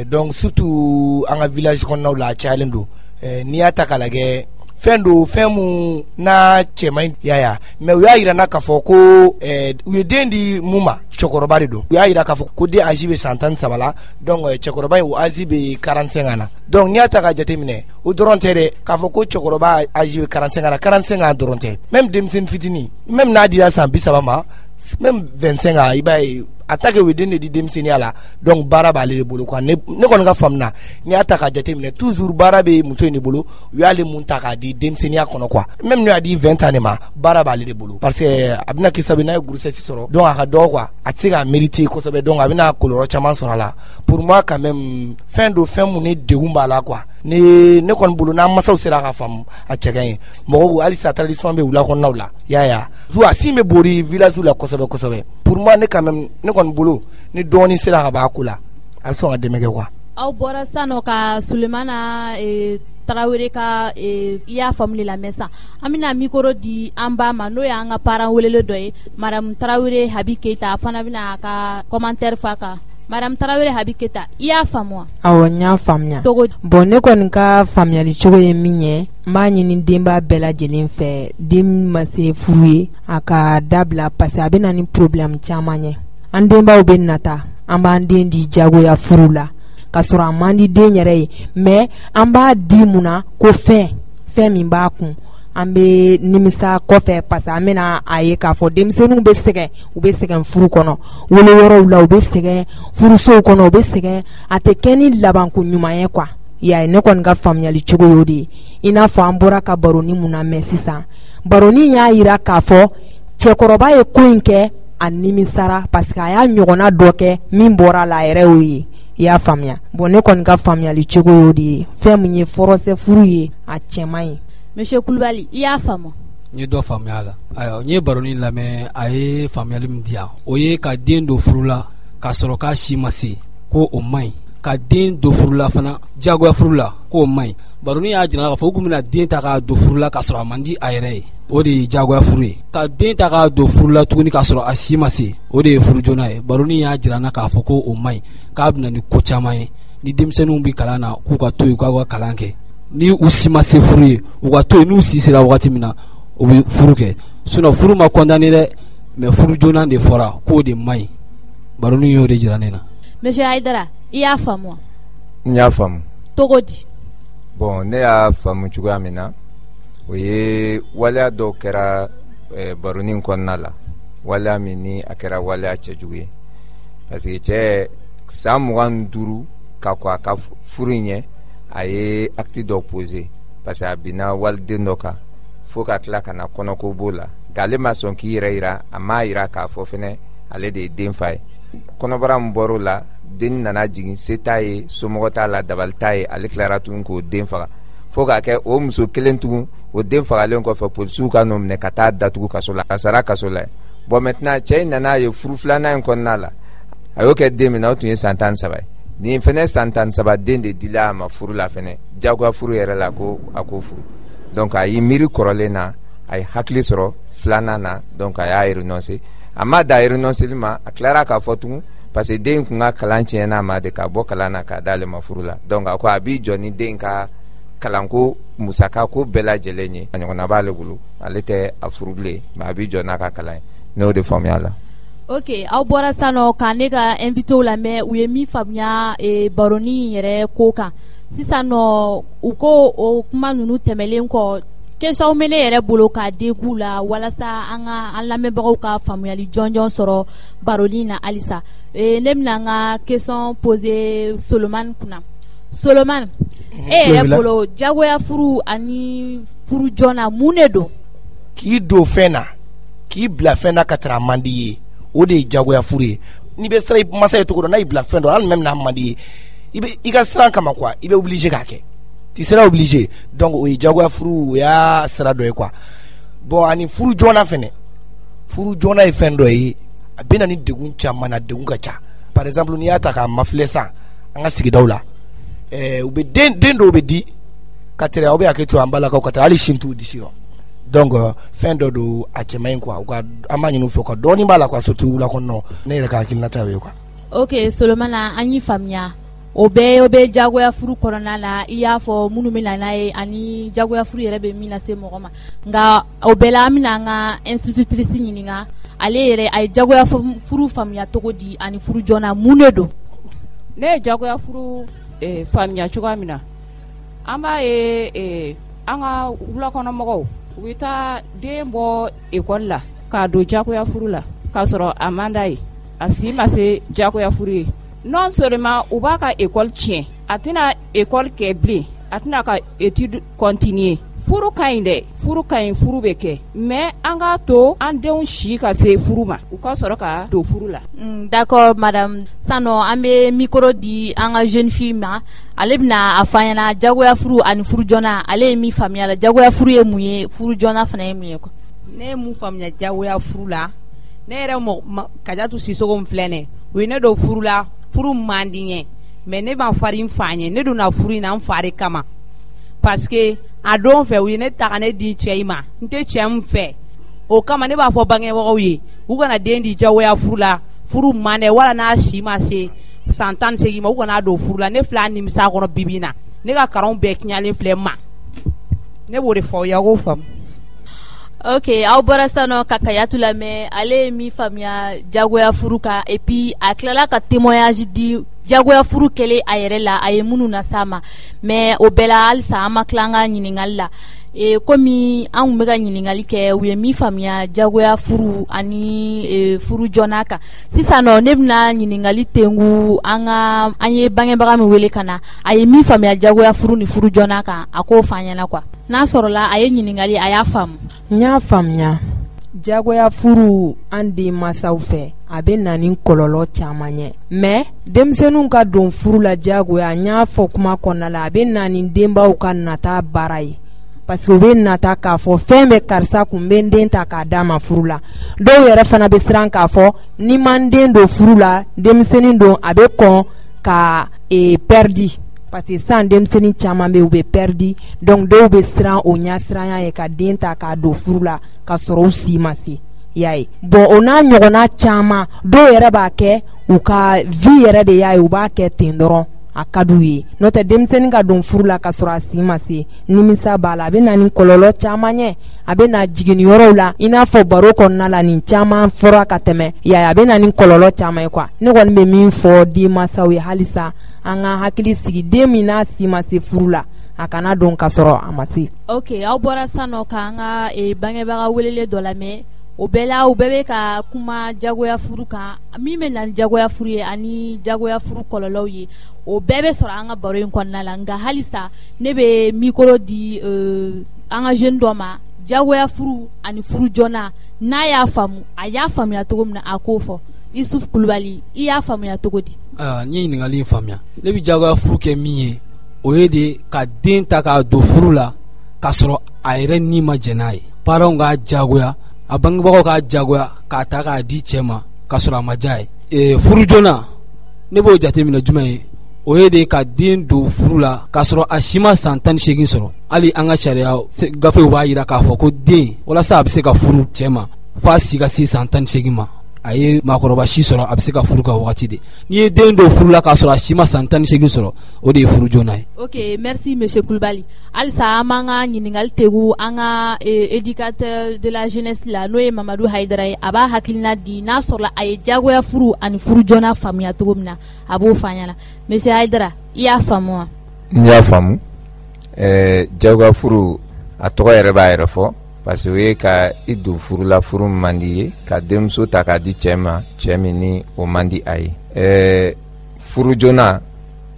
Donc surtout an ka village kɔnɔnaw la, a cayalen don. N'i y'a ta k'a lajɛ, fɛn don, fɛn mun n'a cɛ man ɲi, y'a ye. Mais u y'a yira n na k'a fɔ ko u ye den di mun ma, cɛkɔrɔba de don. U y'a yira k'a fɔ ko den âge bɛ san 13 la, donc cɛkɔrɔba in o âge bɛ 45 ans na. Donc n'i y'a ta k'a jateminɛ, o dɔrɔn tɛ dɛ, k'a fɔ ko cɛkɔrɔba âge bɛ 45 ans na, 45 ans dɔrɔn tɛ, même denmisɛnnin fitinin, même n'a dira san 30 ma, même 25 ans, i b'a ye a ta kɛ u ye den de di denmisɛnninya la, donc baara b'ale de bolo quoi. Ne kɔni ka faamu na, n'i y'a ta k'a jateminɛ, toujours baara bɛ muso in de bolo. U y'ale mun ta k'a di denmisɛnninya kɔnɔ quoi, même n'u y'a di 20 ans de ma, baara b'ale de bolo, parce que a bɛna kɛ sababu ye n'a ye grossesse sɔrɔ, donc a ka dɔgɔ quoi, a tɛ se k'a mériter kosɛbɛ, donc a bɛna kɔlɔlɔ caman sɔrɔ a la. Pour moi quand même, fɛn don, fɛn mun ni degun b'a la quoi. Ne kɔni bolo, n'an masaw sera ka faamu, a cɛ ka ɲi. Mɔgɔw halisa tradition bɛ wula kɔnɔnaw la, i y'a ye, a sin bɛ bori village la kosɛbɛ kosɛbɛ. Pour moi, ne quand même, ne kɔni bolo, ni dɔɔni sera ka bɔ a ko la, a bɛ sɔn ka dɛmɛ kɛ quoi. Aw bɔra sisan nɔ ka Sulemana Tarawele ka i y'a faamu de lamɛn sisan. An bɛna micro di an ba ma, n'o y'an ka parent welelen dɔ ye, madame Tarawele Habi Keyita. A fana bɛna a ka commentaire fɔ a kan. Madame Tarawele Habi Keyita, i y'a faamu wa? Awɔ, n y'a faamuya. Togo Bon, ne kɔni ka faamuyali cogo ye min ye, n b'a ɲini denba bɛɛ lajɛlen fɛ, den min ma se furu ye, a ka dabila, parce que a bɛ na ni problème caman ye. An denbaw bɛ nata, an b'an den di jagoya furu la k'a sɔrɔ a man di den yɛrɛ ye, mais an b'a di mun na ko fɛn min b'a kun, an bɛ nimisa kɔfɛ, parce que an bɛna a ye k'a fɔ denmisɛnninw bɛ sɛgɛn, u bɛ sɛgɛn furu kɔnɔ, woloyɔrɔw la, u bɛ sɛgɛn furusow kɔnɔ, u bɛ sɛgɛn, a tɛ kɛ ni labanko ɲuman ye quoi. I y'a ye, ne kɔni ka faamuyali cogo y'o de ye. I n'a fɔ an bɔra ka baroni mun na mɛn sisan, baroni y'a yira k'a fɔ cɛkɔrɔba ye ko in kɛ, a nimisara parce que a y'a ɲɔgɔnna dɔ kɛ min bɔra la, a yɛrɛ y'o ye. I y'a faamuya? Bon, ne kɔni ka faamuyali cogo y'o de ye. Fɛn min ye forcé furu ye, a cɛ man ɲi. Monsieur Kulubali, i y'a faamu? N ye dɔ faamuya a la. Ayiwa, n ye baroni lamɛn, a ye faamuyali min di yan, o ye ka den don furu la k'a sɔrɔ k'a si ma se, ko o man ɲi. Ka den don furu la fana, diyagoya furu la, k'o man ɲi. Baroni y'a jira k'a fɔ u kun bɛna den ta k'a don furu la k'a sɔrɔ a man di a yɛrɛ ye, o de ye diyagoya furu ye. Ka den ta k'a don furu la tuguni k'a sɔrɔ a si ma se, o de ye furu joona ye. Baroni y'a jira n na k'a fɔ ko o man ɲi, k'a bɛna ni ko caman ye. Ni denmisɛnninw bɛ kalan na, k'u ka to yen, k'u ka kalan kɛ. Ni u si ma se furu ye, u ka to yen. N'u si sera wagati min na, u bɛ furu kɛ. Sinon furu ma condamné dɛ, mais furu joona de fɔra k'o de man ɲi. Baroni y'o de jira ne na. Monsieur Hayidara, i y'a faamu wa? N y'a faamu. Cogo di? Bon, ne y'a faamu cogoya min na, o ye waleya dɔw kɛra baroni kɔnɔna la, waleya min ni a kɛra waleya cɛjugu ye, parce que cɛ san 25 ka kɔn a ka furu in ɲɛ, a ye acte dɔ posé, parce que a binna waliden dɔ kan fo ka tila ka na kɔnɔko b'o la. Nka ale ma sɔn k'i yɛrɛ yira, a m'a yira k'a fɔ fɛnɛ ale de ye den fa ye. Kɔnɔbara min bɔr'o la, den nana jigin, se t'a ye, somɔgɔ t'a la, dabali t'a ye, ale tilara tuguni k'o den faga, fo k'a kɛ o muso kelen tugun. O den fagalen kɔfɛ, polisiw ka n'o minɛ ka taa datugu kaso la, a sara kaso la. Bon, maintenant cɛ in nana ye furu filanan in kɔnɔna la, a y'o kɛ den min na, o tun ye san 13 ye. Nin fɛnɛ san 13 den de dila a ma furu la fɛnɛ, diyagoya furu yɛrɛ la, ko a k'o furu. Donc a y'i miiri kɔrɔlen na, a ye hakili sɔrɔ filanan na, donc a y'a renoncer. A ma da renonceli ma, a tilara k'a fɔ tugun, parce que den kun ka kalan tiɲɛna a ma de, ka bɔ kalan na k'a d'ale ma furu la. Donc a ko a b'i jɔ ni den ka kalanko musaka ko bɛɛ lajɛlen ye, a ɲɔgɔnna b'ale bolo, ale tɛ a furu bilen, mais a b'i jɔ n'a ka kalan ye. Ne y'o de faamuya a la. Ok, aw bɔra sisan nɔ ka ne ka invité lamɛn, u ye min faamuya baroni yɛrɛ ko kan sisan nɔ, u ko o kuma ninnu tɛmɛlen kɔ, question bɛ ne yɛrɛ bolo k'a den la walasa an ka an lamɛnbagaw ka faamuyali jɔnjɔn sɔrɔ baroni na halisa. Ne bɛna an ka question poser Solomani kunna. Solomani, e yɛrɛ bolo, jagoya furu ani furu joona, mun de don? K'i don fɛn na, k'i bila fɛn na ka tɛrɛ a man di ye, o de ye jagoya furu ye. N'i bɛ siran i masa ye cogo dɔ, n'a y'i bila fɛn dɔ, hali même n'a man di ye, i bɛ i ka siran kama quoi, i bɛ obligé k'a kɛ, tu seras obligé. Donc o ye jagoya furu, o y'a sira dɔ ye quoi. Bon, ani furu joona fɛnɛ, furu joona ye fɛn dɔ ye, a bɛ na ni degun caman na, degun ka ca. Par exemple, n'i y'a ta k'a mafilɛ sisan an ka sigidaw la, u bɛ den dɔw bɛ di ka tɛrɛ, aw bɛ hakɛ to an balakaw, ka tɛrɛ hali sin t'u disi rɔ. Donc fɛn dɔ don, a cɛ man ɲi quoi. U ka, an b'a ɲini u fɛ u ka dɔɔnin b'a la quoi, surtout wula kɔnɔ. Ne yɛrɛ ka hakilinata y'o ye quoi. Ok Solomana, an y'i faamuya. O bɛɛ, o bɛ jagoya furu kɔnɔna la. I y'a fɔ minnu bɛ na n'a ye ani jagoya furu yɛrɛ bɛ min lase mɔgɔ ma. Nka o bɛɛ la, an bɛna an ka institutrice ɲininka, ale yɛrɛ a ye jagoya furu faamuya cogo di, ani furu joona, mun de don? Ne ye jagoya furu faamuya cogoya min na, an b'a ye an ka wulakɔnɔmɔgɔw, u bɛ taa den bɔ ekɔli la k'a don jagoya furu la k'a sɔrɔ a man d'a ye, a si ma se jagoya furu ye. Non seulement u b'a ka école tiɲɛ, a tɛna école kɛ bilen, a tɛna ka étude continuer. Furu ka ɲi dɛ, furu ka ɲi, furu bɛ kɛ, mais an k'a to an denw si ka se furu ma, u ka sɔrɔ ka don furu la. D'accord madame. Sisan an bɛ micro di an ka jeune fille ma, ale bɛna a fɔ an ɲɛna jagoya furu ani furu joona, ale ye min faamuya la, jagoya furu ye mun ye, furu joona fana ye mun ye quoi. Ne ye mun faamuya jagoya furu la, ne yɛrɛ mɔgɔ Kajatu Sisoko min filɛ nin, u ye ne don furu la, furu man di n ye, mais ne ma farin fa ɲɛ. Ne donna furu in na n fa de kama, parce que a don fɛ u ye ne ta ka ne di cɛ in ma, n tɛ cɛ min fɛ. O kama ne b'a fɔ bangebagaw ye, u kana den di jagoya furu la, furu man dɛ, wala n'a si ma se san 18 ma, u kana don furu la. Ne filɛ a nimisa kɔnɔ bibi in na, ne ka kalanw bɛɛ tiɲɛlen filɛ n ma. Ne b'o de fɔ aw ye, aw k'o faamu. Ok, aw bɔra sisan nɔ ka Kayatu lamɛn, ale ye min faamuya jagoya furu kan, et puis a tilala ka témoignage di jagoya furu kɛlen a yɛrɛ la, a ye minnu las'a ma. Mais o bɛɛ la, halisa an ma tila an ka ɲininkali la. Komi an tun bɛ ka ɲininkali kɛ, u ye min faamuya jagoya furu ani furu joona kan. Sisan nɔ, ne bɛna ɲininkali tengu an ka an ye bangebaga min wele ka na, a ye min faamuya jagoya furu ni furu joona kan, a k'o fɔ an ɲɛna quoi, n'a sɔrɔla a ye ɲininkali, a y'a faamu. N y'a faamuya. Jagoya furu, an den masaw fɛ, a bɛ na ni kɔlɔlɔ caman ye. Mais denmisɛnninw ka don furu la jagoya, n y'a fɔ kuma kɔnɔna la, a bɛ na ni denbaw ka nata baara ye, parce que u bɛ nata k'a fɔ fɛn bɛ karisa kun, bɛ n den ta k'a d'a ma furu la. Dɔw yɛrɛ fana bɛ siran k'a fɔ ni ma n den don furu la, denmisɛnnin don, a bɛ kɔn ka perdu, parce que sisan denmisɛnnin caman bɛ yen, u bɛ perdu. Donc dɔw bɛ siran o ɲɛsiranya ye ka den ta k'a don furu la ka sɔrɔ u si ma se, i y'a ye. Bon, o n'a ɲɔgɔnna caman, dɔw yɛrɛ b'a kɛ u ka vie yɛrɛ de y'a ye, u b'a kɛ ten dɔrɔn, a ka d'u ye. N'o tɛ, denmisɛnnin ka don furu la ka sɔrɔ a si ma se, nimisa b'a la, a bɛ na ni kɔlɔlɔ caman ye. A bɛ na jiginniyɔrɔw la, i n'a fɔ baro kɔnɔna la, nin caman fɔra ka tɛmɛ ya, a bɛ na ni kɔlɔlɔ caman ye quoi. Ne kɔni bɛ min fɔ denmansaw ye halisa, an ka hakili sigi, den min n'a si ma se furu la, a kana don ka sɔrɔ a ma se. Ok, aw bɔra sisan nɔ k'an ka bangebaga welelen dɔ lamɛn. O bɛɛ la, u bɛɛ bɛ ka kuma jagoya furu kan, min bɛ na ni jagoya furu ye ani jagoya furu kɔlɔlɔw ye, o bɛɛ bɛ sɔrɔ an ka baro in kɔnɔna la. Nka halisa ne bɛ micro di an ka jeune dɔ ma, jagoya furu ani furu joona, n'a y'a faamu, a y'a faamuya cogo min na, a k'o fɔ. Isuf Kulubali, i y'a faamuya cogo di? Ayiwa, n ye ɲininkali in faamuya. Ne bɛ jagoya furu kɛ min ye, o ye de ka den ta k'a don furu la k'a sɔrɔ a yɛrɛ ni ma jɛn n'a ye. Parents k'a jagoya, a bangebagaw k'a jagoya k'a ta k'a di cɛ ma k'a sɔrɔ a ma diya ye. Furu joona, ne b'o jateminɛ jumɛn ye? O ye de ka den don furu la k'a sɔrɔ a si ma san 18 sɔrɔ. Hali an ka sariya gafew b'a jira k'a fɔ ko den, walasa a bɛ se ka furu cɛ ma, f'a si ka se san 18 ma. A ye maakɔrɔba si sɔrɔ, a bɛ se ka furu ka wagati de. N'i ye den don furu la k'a sɔrɔ a si ma san 18 sɔrɔ, o de ye furu joona ye. Ok, merci monsieur Kulubali. Halisa an b'an ka ɲininkali tegu an ka éducateur de la jeunesse la, n'o ye Mamadu Hayidara ye. A b'a hakilina di, n'a sɔrɔla a ye jagoya furu ani furu joona faamuya cogo min na, a b'o fɔ an ɲɛna. Monsieur Hayidara, i y'a faamu wa? N y'a faamu. Jagoya furu, a tɔgɔ yɛrɛ b'a yɛrɛ fɔ, parce que o ye ka i don furu la, furu min man di ye, ka denmuso ta k'a di cɛ ma, cɛ min ni o man di a ye. Furu joona,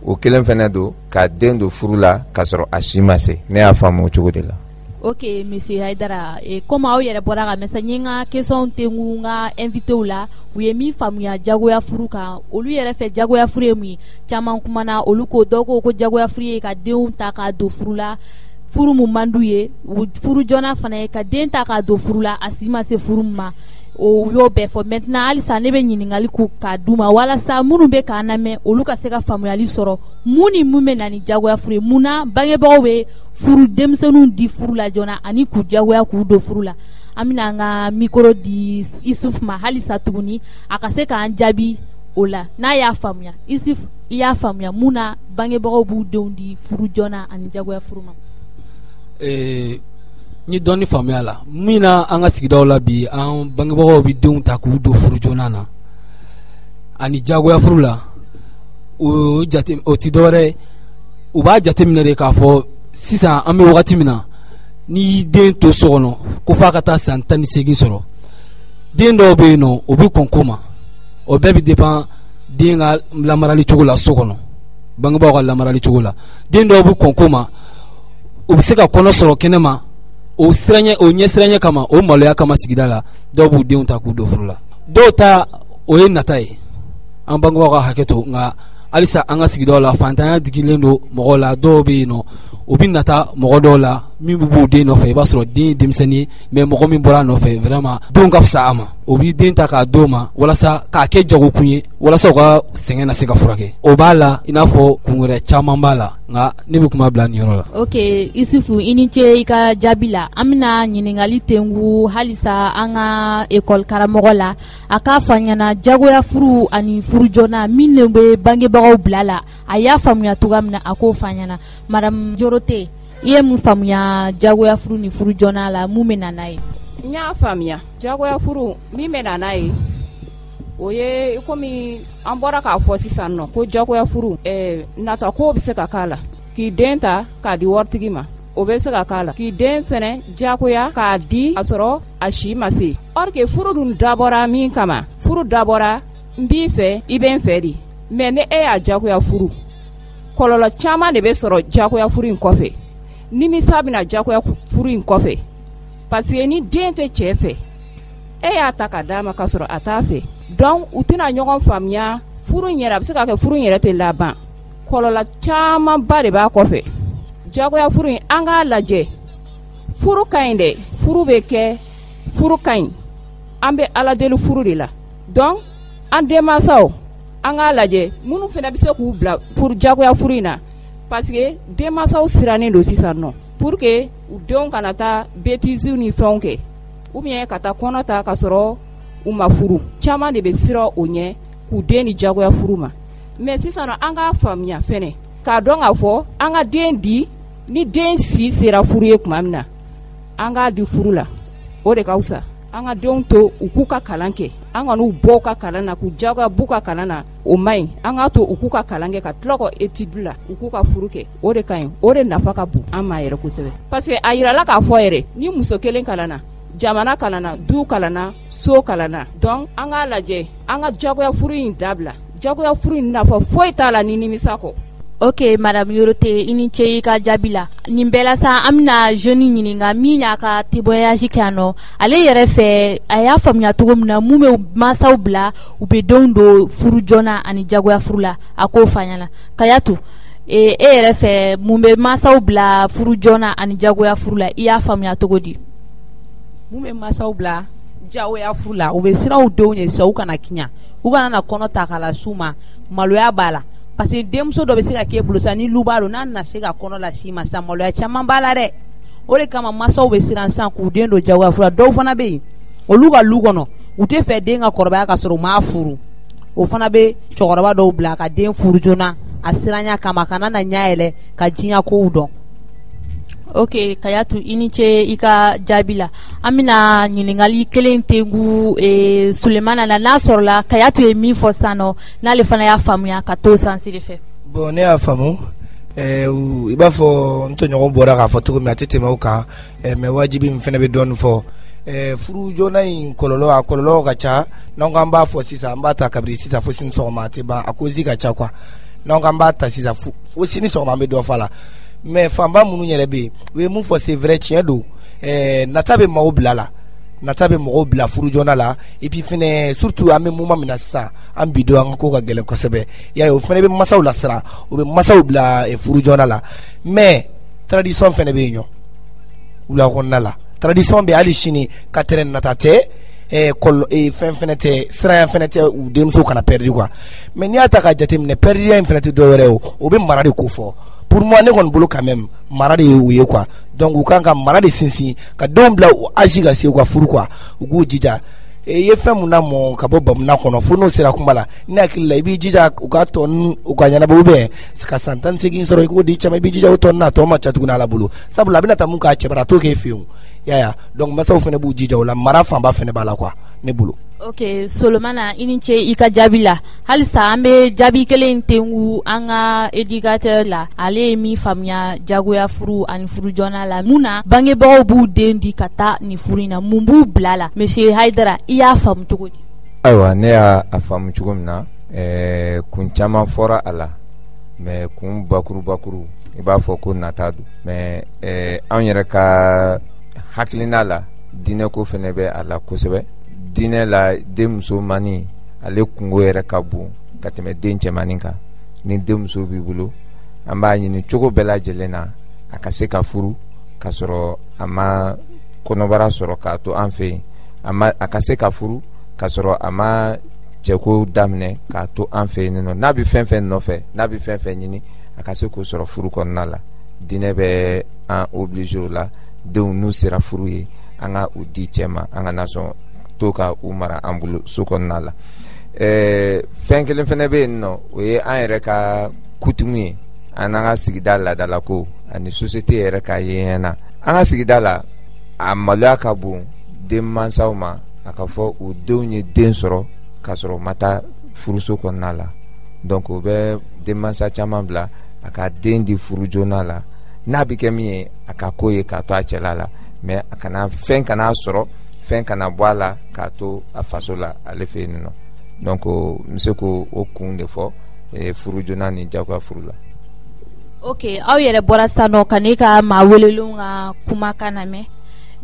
o kelen fɛnɛ don, ka den don furu la k'a sɔrɔ a si ma se. Ne y'a faamu o cogo de la. Ok monsieur Hayidara, comme aw yɛrɛ bɔra ka mɛn, n ye n ka question tengu n ka invité la, u ye min faamuya jagoya furu kan, olu yɛrɛ fɛ jagoya furu ye mun ye. Caman kumana, olu ko, dɔw ko ko jagoya furu ye ka denw ta k'a don furu la, furu mun man d'u ye. Furu joona fana ye ka den ta k'a don furu la, a si ma se furu min ma. O y'o bɛɛ fɔ. Maintenant, halisa ne bɛ ɲininkali ko k'a d'u ma, walasa minnu bɛ k'an lamɛn, olu ka se ka faamuyali sɔrɔ, mun ni mun bɛ na ni jagoya furu ye, mun na bangebagaw bɛ furu denmisɛnninw di furu la joona ani k'u jagoya k'u don furu la. An bɛna an ka micro di Isuf ma halisa tuguni, a ka se k'an jaabi o la n'a y'a faamuya. Isuf, i y'a faamuya mun na bangebagaw b'u denw di furu joona ani jagoya furu ma? N ye dɔɔni faamuya la. Min na, an ka sigidaw la bi, an bangebagaw bɛ denw ta k'u don furu joona na ani jagoya furu la, o jate o ti dɔwɛrɛ ye, u b'a jateminɛ de k'a fɔ sisan an bɛ wagati min na, n'i y'i den to so kɔnɔ ko f'a ka taa san 18 sɔrɔ, den dɔw bɛ yen nɔ, o bɛ kɔn ko ma. O bɛɛ bɛ dépend den ka lamarali cogo la so kɔnɔ, bangebaaw ka lamarali cogo la. Den dɔw bɛ kɔn ko ma, u bɛ se ka kɔnɔ sɔrɔ kɛnɛ ma. O siranɲɛ, o ɲɛsiranɲɛ kama, o maloya kama, sigida la, dɔw b'u denw ta k'u don furu la. Dɔw ta, o ye nata ye. An bangebaaw ka hakɛ to, nka halisa an ka sigidaw la, fantanya digilen don mɔgɔw la. Dɔw bɛ yen nɔ, u bɛ nata mɔgɔ dɔw la min bɛ b'u den nɔfɛ. I b'a sɔrɔ den ye denmisɛnnin ye, mais mɔgɔ min bɔra a nɔfɛ, vraiment denw ka fisa a ma, o b'i den ta k'a d'o ma walasa k'a kɛ jagokun ye, walasa u ka sɛgɛn na se ka furakɛ. O b'a la, i n'a fɔ kun wɛrɛ caman b'a la, nka ne bɛ kuma bila nin yɔrɔ la. Ok Isufu, i ni ce i ka jaabi la. An bɛna ɲininkali tengu halisa an ka ekɔli karamɔgɔ la, a k'a fɔ an ɲɛna jagoya furu ani furu joona, min de bɛ bangebagaw bila la, a y'a faamuya cogoya min na, a k'o fɔ an ɲɛna. Madame Jorote, i ye mun faamuya jagoya furu ni furu joona la, mun bɛ na n'a ye? N y'a faamuya. Jagoya furu min bɛ na n'a ye, o ye komi an bɔra k'a fɔ sisan nɔ ko jagoya furu, nata ko bɛ se ka k'a la, k'i den ta k'a di waritigi ma, o bɛ se ka k'a la, k'i den fɛnɛ jagoya k'a di a sɔrɔ a si ma se. Or que furu dun dabɔra min kama, furu dabɔra n b'i fɛ, i bɛ n fɛ de. Mais ni e y'a jagoya furu, kɔlɔlɔ caman de bɛ sɔrɔ jagoya furu in kɔfɛ. Nimisa bɛna jagoya furu in kɔfɛ, parce que ni den tɛ cɛ fɛ, e y'a ta ka d'a ma k'a sɔrɔ a t'a fɛ, donc u tɛna ɲɔgɔn faamuya. Furu in yɛrɛ, a bɛ se ka kɛ furu in yɛrɛ tɛ laban. Kɔlɔlɔ camanba de b'a kɔfɛ. Jagoya furu in, an k'a lajɛ, furu ka ɲi dɛ, furu bɛ kɛ, furu ka ɲi, an bɛ Ala deli furu de la. Donc an denmansaw, an k'a lajɛ minnu fana bɛ se k'u bila furu jagoya furu in na, parce que denmansaw sirannen don sisan nɔ, pour que u denw kana taa bêtises ni fɛnw kɛ, ou bien ka taa kɔnɔ ta ka sɔrɔ u ma furu. Caman de bɛ siran o ɲɛ k'u den ni jagoya furu ma. Mais sisan nɔ, an k'a faamuya fɛnɛ k'a dɔn k'a fɔ an ka den di, ni den si sera furu ye tuma min na, an k'a di furu la, o de ka fisa. An ka denw to u k'u ka kalan kɛ, an ka n'u bɔ u ka kalan na, k'u jagoya b'u ka kalan na, o man ɲi. An k'a to u k'u ka kalan kɛ, ka tila ka étude la, u k'u ka furu kɛ, o de ka ɲi, o de nafa ka bon an ma yɛrɛ kosɛbɛ. Parce que a yirala k'a fɔ yɛrɛ, ni muso kelen kalanna, jamana kalanna, du kalanna, so kalanna. Donc an k'a lajɛ, an ka jagoya furu in dabila. Jagoya furu in nafa foyi t'a la ni nimisa kɔ. Ok, madame Yorote, i ni ce i ka jaabi la. Nin bɛɛ la sa, an bɛna jeune ɲininka min y'a ka témoignage kɛ yan nɔ. Ale yɛrɛ fɛ, a y'a faamuya cogo min na, mun bɛ mansaw bila u bɛ denw don furu joona ani jagoya furu la, a k'o fɔ an ɲɛna. Kayatu, e yɛrɛ fɛ, mun bɛ mansaw bila furu joona ani jagoya furu la, i y'a faamuya cogo di? Mun bɛ mansaw bila jagoya furu la, u bɛ siran u denw ɲɛ sisan, u kana kiɲa, u kana na kɔnɔ ta k'a las'u ma, maloya b'a la. Parce que denmuso dɔ bɛ se ka k'e bolo sisan, ni luba don, n'a nana se ka kɔnɔ las'i ma sisan, maloya caman b'a la dɛ. O de kama mansaw bɛ siran sisan k'u den don jagoya furu la. Dɔw fana bɛ yen, olu ka lu kɔnɔ, u tɛ fɛ den ka kɔrɔbaya ka sɔrɔ u m'a furu. O fana bɛ cɛkɔrɔba dɔw bila ka den furu joona, a siranya kama, kana na ɲɛ yɛlɛ ka diɲɛ kow dɔn. Ok, Kayatu, i ni ce i ka jaabi la. An bɛna ɲininkali kelen tengu Sulemana na, n'a sɔrɔla Kayatu ye min fɔ sisan nɔ, n'ale fana y'a faamuya ka t'o sens de fɛ. Bon, ne y'a faamu, i b'a fɔ n tɔɲɔgɔn bɔra k'a fɔ cogo min, a tɛ tɛmɛ o kan, mais wajibi min fana bɛ dɔɔnin fɔ. Furu joona in kɔlɔlɔ, a kɔlɔlɔ ka ca. N'an ko an b'a fɔ sisan, an b'a ta kabini sisan fo sini sɔgɔma, a tɛ ban, a cause ka ca quoi. N'an ko an b'a ta sisan fo sini sɔgɔma, an bɛ dɔ fɔ a la. Mais fanba minnu yɛrɛ bɛ yen, u ye mun fɔ, c'est vrai, tiɲɛ don, nata bɛ maaw bila la, nata bɛ mɔgɔw bila furu joona la. Et puis fɛnɛ, surtout an bɛ moment min na sisan, an bi don, an ka ko ka gɛlɛn kosɛbɛ, i y'a ye, o fɛnɛ bɛ masaw lasiran, o bɛ masaw bila furu joona la. Mais tradition fɛnɛ bɛ yen ɲɔ wula kɔnɔna la, tradition bɛ hali sini ka tɛrɛ nata tɛ, fɛn fɛnɛ tɛ, siranya fɛnɛ tɛ, u denmuso kana perdu quoi. Mais n'i y'a ta k'a jateminɛ, perduya in fɛnɛ tɛ dɔwɛrɛ ye, o bɛ mara de ko fɔ. Pour moi, ne kɔni bolo, quand même, mara de ye u ye quoi. Donc u kan ka mara de sinsin ka denw bila u âge ka se u ka furu quoi, u k'u jija. I ye fɛn mun lamɔ ka bɔ bamuna kɔnɔ, fo n'o sera kuma la, ne hakili la, i b'i jija u ka tɔ ninnu u ka ɲɛnabɔ, ou bien ka san 18 sɔrɔ, i k'o di cɛ ma, i b'i jija o tɔ ninnu, a tɔ ma ca tuguni Ala bolo, sabula a bɛna taa mun k'a cɛ bara, a t'o k'e fɛ yen o, i y'a ye. Donc masaw fana b'u jija o la, mara fanba fana b'a la quoi, ne bolo. Ok, Solomana, i ni ce i ka jaabi la. Halisa an bɛ jaabi kelen tengu an ka éducateur la. Ale ye min faamuya jagoya furu ani furu joona la, mun na bangebagaw b'u den di ka taa nin furu in na, mun b'u bila la? Monsieur Hayidara, i y'a faamu cogo di? Ayiwa, ne y'a faamu cogo min na, kun caman fɔra a la, mais kun bakurubakuru, i b'a fɔ ko nata don. Mais anw yɛrɛ ka hakilina la, diinɛko fɛnɛ bɛ a la kosɛbɛ. Diinɛ la, den musomannin ale kungo yɛrɛ ka bon ka tɛmɛ den cɛmannin kan. Ni denmuso b'i bolo, an b'a ɲini cogo bɛɛ lajɛlen na a ka se ka furu ka sɔrɔ a ma kɔnɔbara sɔrɔ k'a to an fɛ yen, a ka se ka furu ka sɔrɔ a ma cɛko daminɛ k'a to an fɛ yen nɔ. N'a bɛ fɛn fɛn nɔfɛ, n'a bɛ fɛn fɛn ɲini, a ka se k'o sɔrɔ furu kɔnɔna la. Diinɛ bɛ an obligé o la. Denw n'u sera furu ye, an ka u di cɛ ma, an kana sɔn to ka u mara an bolo so kɔnɔna la. Fɛn kelen fɛnɛ bɛ yen nɔ, o ye an yɛrɛ ka coutume ye, an n'an ka sigida laadalako ani société yɛrɛ ka yeɲɛna. An ka sigida la, a maloya ka bon denmansaw ma a ka fɔ u denw ye den sɔrɔ k'a sɔrɔ u ma taa furuso kɔnɔna la. Donc o bɛ denmansa caman bila a ka den di furu joona la, n'a bɛ kɛ min ye a ka ko ye k'a to a cɛla la, mais a kana fɛn kana sɔrɔ, fɛn kana bɔ a la k'a to a faso la ale fɛ yen nɔ. Donc n bɛ se k'o kun de fɔ furu joona ni jagoya furu la. Ok, aw yɛrɛ bɔra sisan nɔ ka ne ka maa welelenw ka kumakan lamɛn,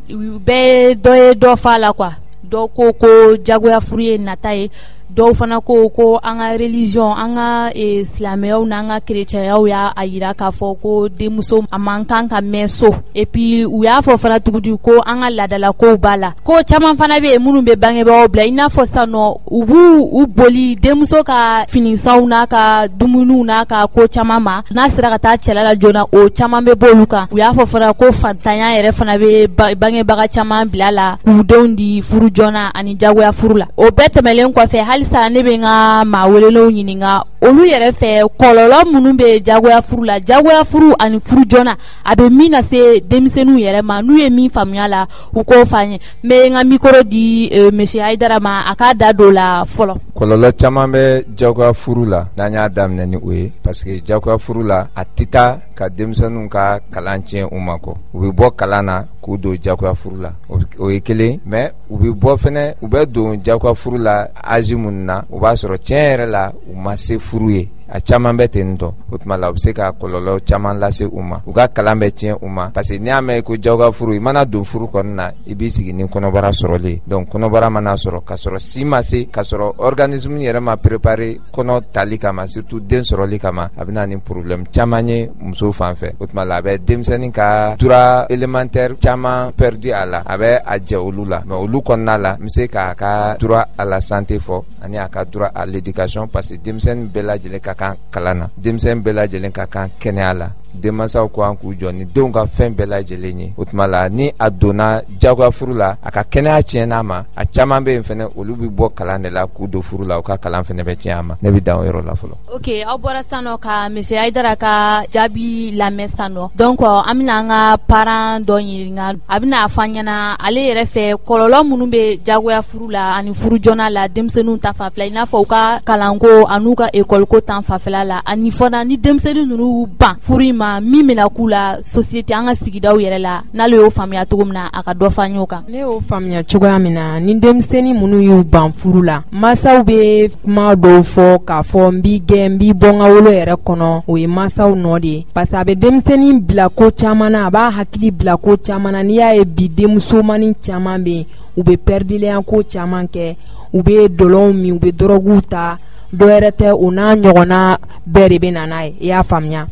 u bɛɛ dɔ ye dɔ fɔ a la quoi. Dɔw ko ko jagoya furu ye nata ye, dɔw fana ko ko an ka religion, an ka silamɛyaw n'an ka kerecɛnyaw y'a yira k'a fɔ ko denmuso a man kan ka mɛn so. Et puis u y'a fɔ fana tuguni ko an ka laadalakow b'a la, ko caman fana bɛ yen minnu bɛ bangebagaw bila, i n'a fɔ sisan nɔ u b'u u boli denmuso ka finisanw n'a ka dumuniw n'a ka ko caman ma, n'a sera ka taa cɛla la joona o caman bɛ bɔ olu kan. U y'a fɔ fana ko fantanya yɛrɛ fana bɛ bangebaga caman bila la k'u denw di furu joona ani jagoya furu la. O bɛɛ tɛmɛlen kɔfɛ, halisa ne bɛ n ka maa welelenw ɲininka olu yɛrɛ fɛ kɔlɔlɔ minnu bɛ jagoya furu la, jagoya furu ani furu joona a bɛ min lase denmisɛnninw yɛrɛ ma, n'u ye min faamuya la u k'o fɔ an ye. N bɛ n ka micro di monsieur Hayidara ma a k'a da don o la fɔlɔ. Kɔlɔlɔ caman bɛ jagoya furu la n'an y'a daminɛ ni o ye, parce que jagoya furu la a tɛ taa ka denmisɛnninw ka kalan tiɲɛ u ma kɔ, u bɛ bɔ kalan na k'u don jagoya furu la, o ye kelen. Mais u bɛ bɔ fɛnɛ, u bɛ don jagoya furu la âge minnu na, o b'a sɔrɔ tiɲɛ yɛrɛ la u ma se furu ye, a caman bɛ ten tɔ. O tuma la u bɛ se ka kɔlɔlɔ caman lase u ma, u ka kalan bɛ tiɲɛ u ma, parce que n'i y'a mɛn ko jagoya furu, i mana don furu kɔnɔna na i b'i sigi ni kɔnɔbara sɔrɔlen. Donc kɔnɔbara mana sɔrɔ k'a sɔrɔ si ma se, k'a sɔrɔ organisme yɛrɛ ma préparé kɔnɔ tali kama, surtout den sɔrɔli kama, a bɛ na ni problème caman ye muso fan fɛ. O tuma la a bɛ denmisɛnnin ka droit élémentaire caman perdu a la, a bɛ a jɛ olu la. Mais olu kɔnɔna la n bɛ se k'a ka droit à la santé fɔ ani a ka droit à l'éducation, parce que denmisɛnnin bɛɛ lajɛlen ka kan kalan na, denmisɛnnin bɛɛ lajɛlen ka kan kɛnɛya la. Denmansaw ko an k'u jɔ ni denw ka fɛn bɛɛ lajɛlen ye. O tuma la ni a donna jagoya furu la, a ka kɛnɛya tiɲɛna ma, a caman bɛ yen fɛnɛ olu bɛ bɔ kalan de la k'u don furu la, u ka kalan fɛnɛ bɛ tiɲɛ a ma. Ne bɛ dan o yɔrɔ la fɔlɔ. Ok, aw bɔra sisan nɔ ka monsieur Hayidara ka jaabi lamɛn sisan nɔ. Donc an bɛna an ka parent dɔ ɲininka, a bɛna a fɔ an ɲɛna ale yɛrɛ fɛ kɔlɔlɔ minnu bɛ jagoya furu la ani furu joona la denmisɛnninw ta fanfɛla, i n'a fɔ u ka kalanko an'u ka école ko ta fanfɛla la, ani fana ni denmisɛnnin ninnu ban furu in ma min bɛna k'u la société an ka sigidaw yɛrɛ la, n'ale y'o faamuya cogo min na a ka dɔ fɔ an y'o kan. Ne y'o faamuya cogoya min na, ni denmisɛnnin minnu y'u ban furu la, mansaw bɛ kuma dɔw fɔ k'a fɔ n b'i gɛn, n b'i bɔ n ka wolo yɛrɛ kɔnɔ, o ye mansaw nɔ de ye, parce que a bɛ denmisɛnnin bila ko caman na, a b'a hakili bila ko caman na. N'i y'a ye bi denmusomanin caman bɛ yen, u bɛ pɛridilenya ko caman kɛ, u bɛ dɔlɔw min, u bɛ dɔrɔguw ta, dɔ wɛrɛ tɛ, o n'a ɲɔgɔnna bɛɛ de bɛ na n'a ye. I y'a faamuya?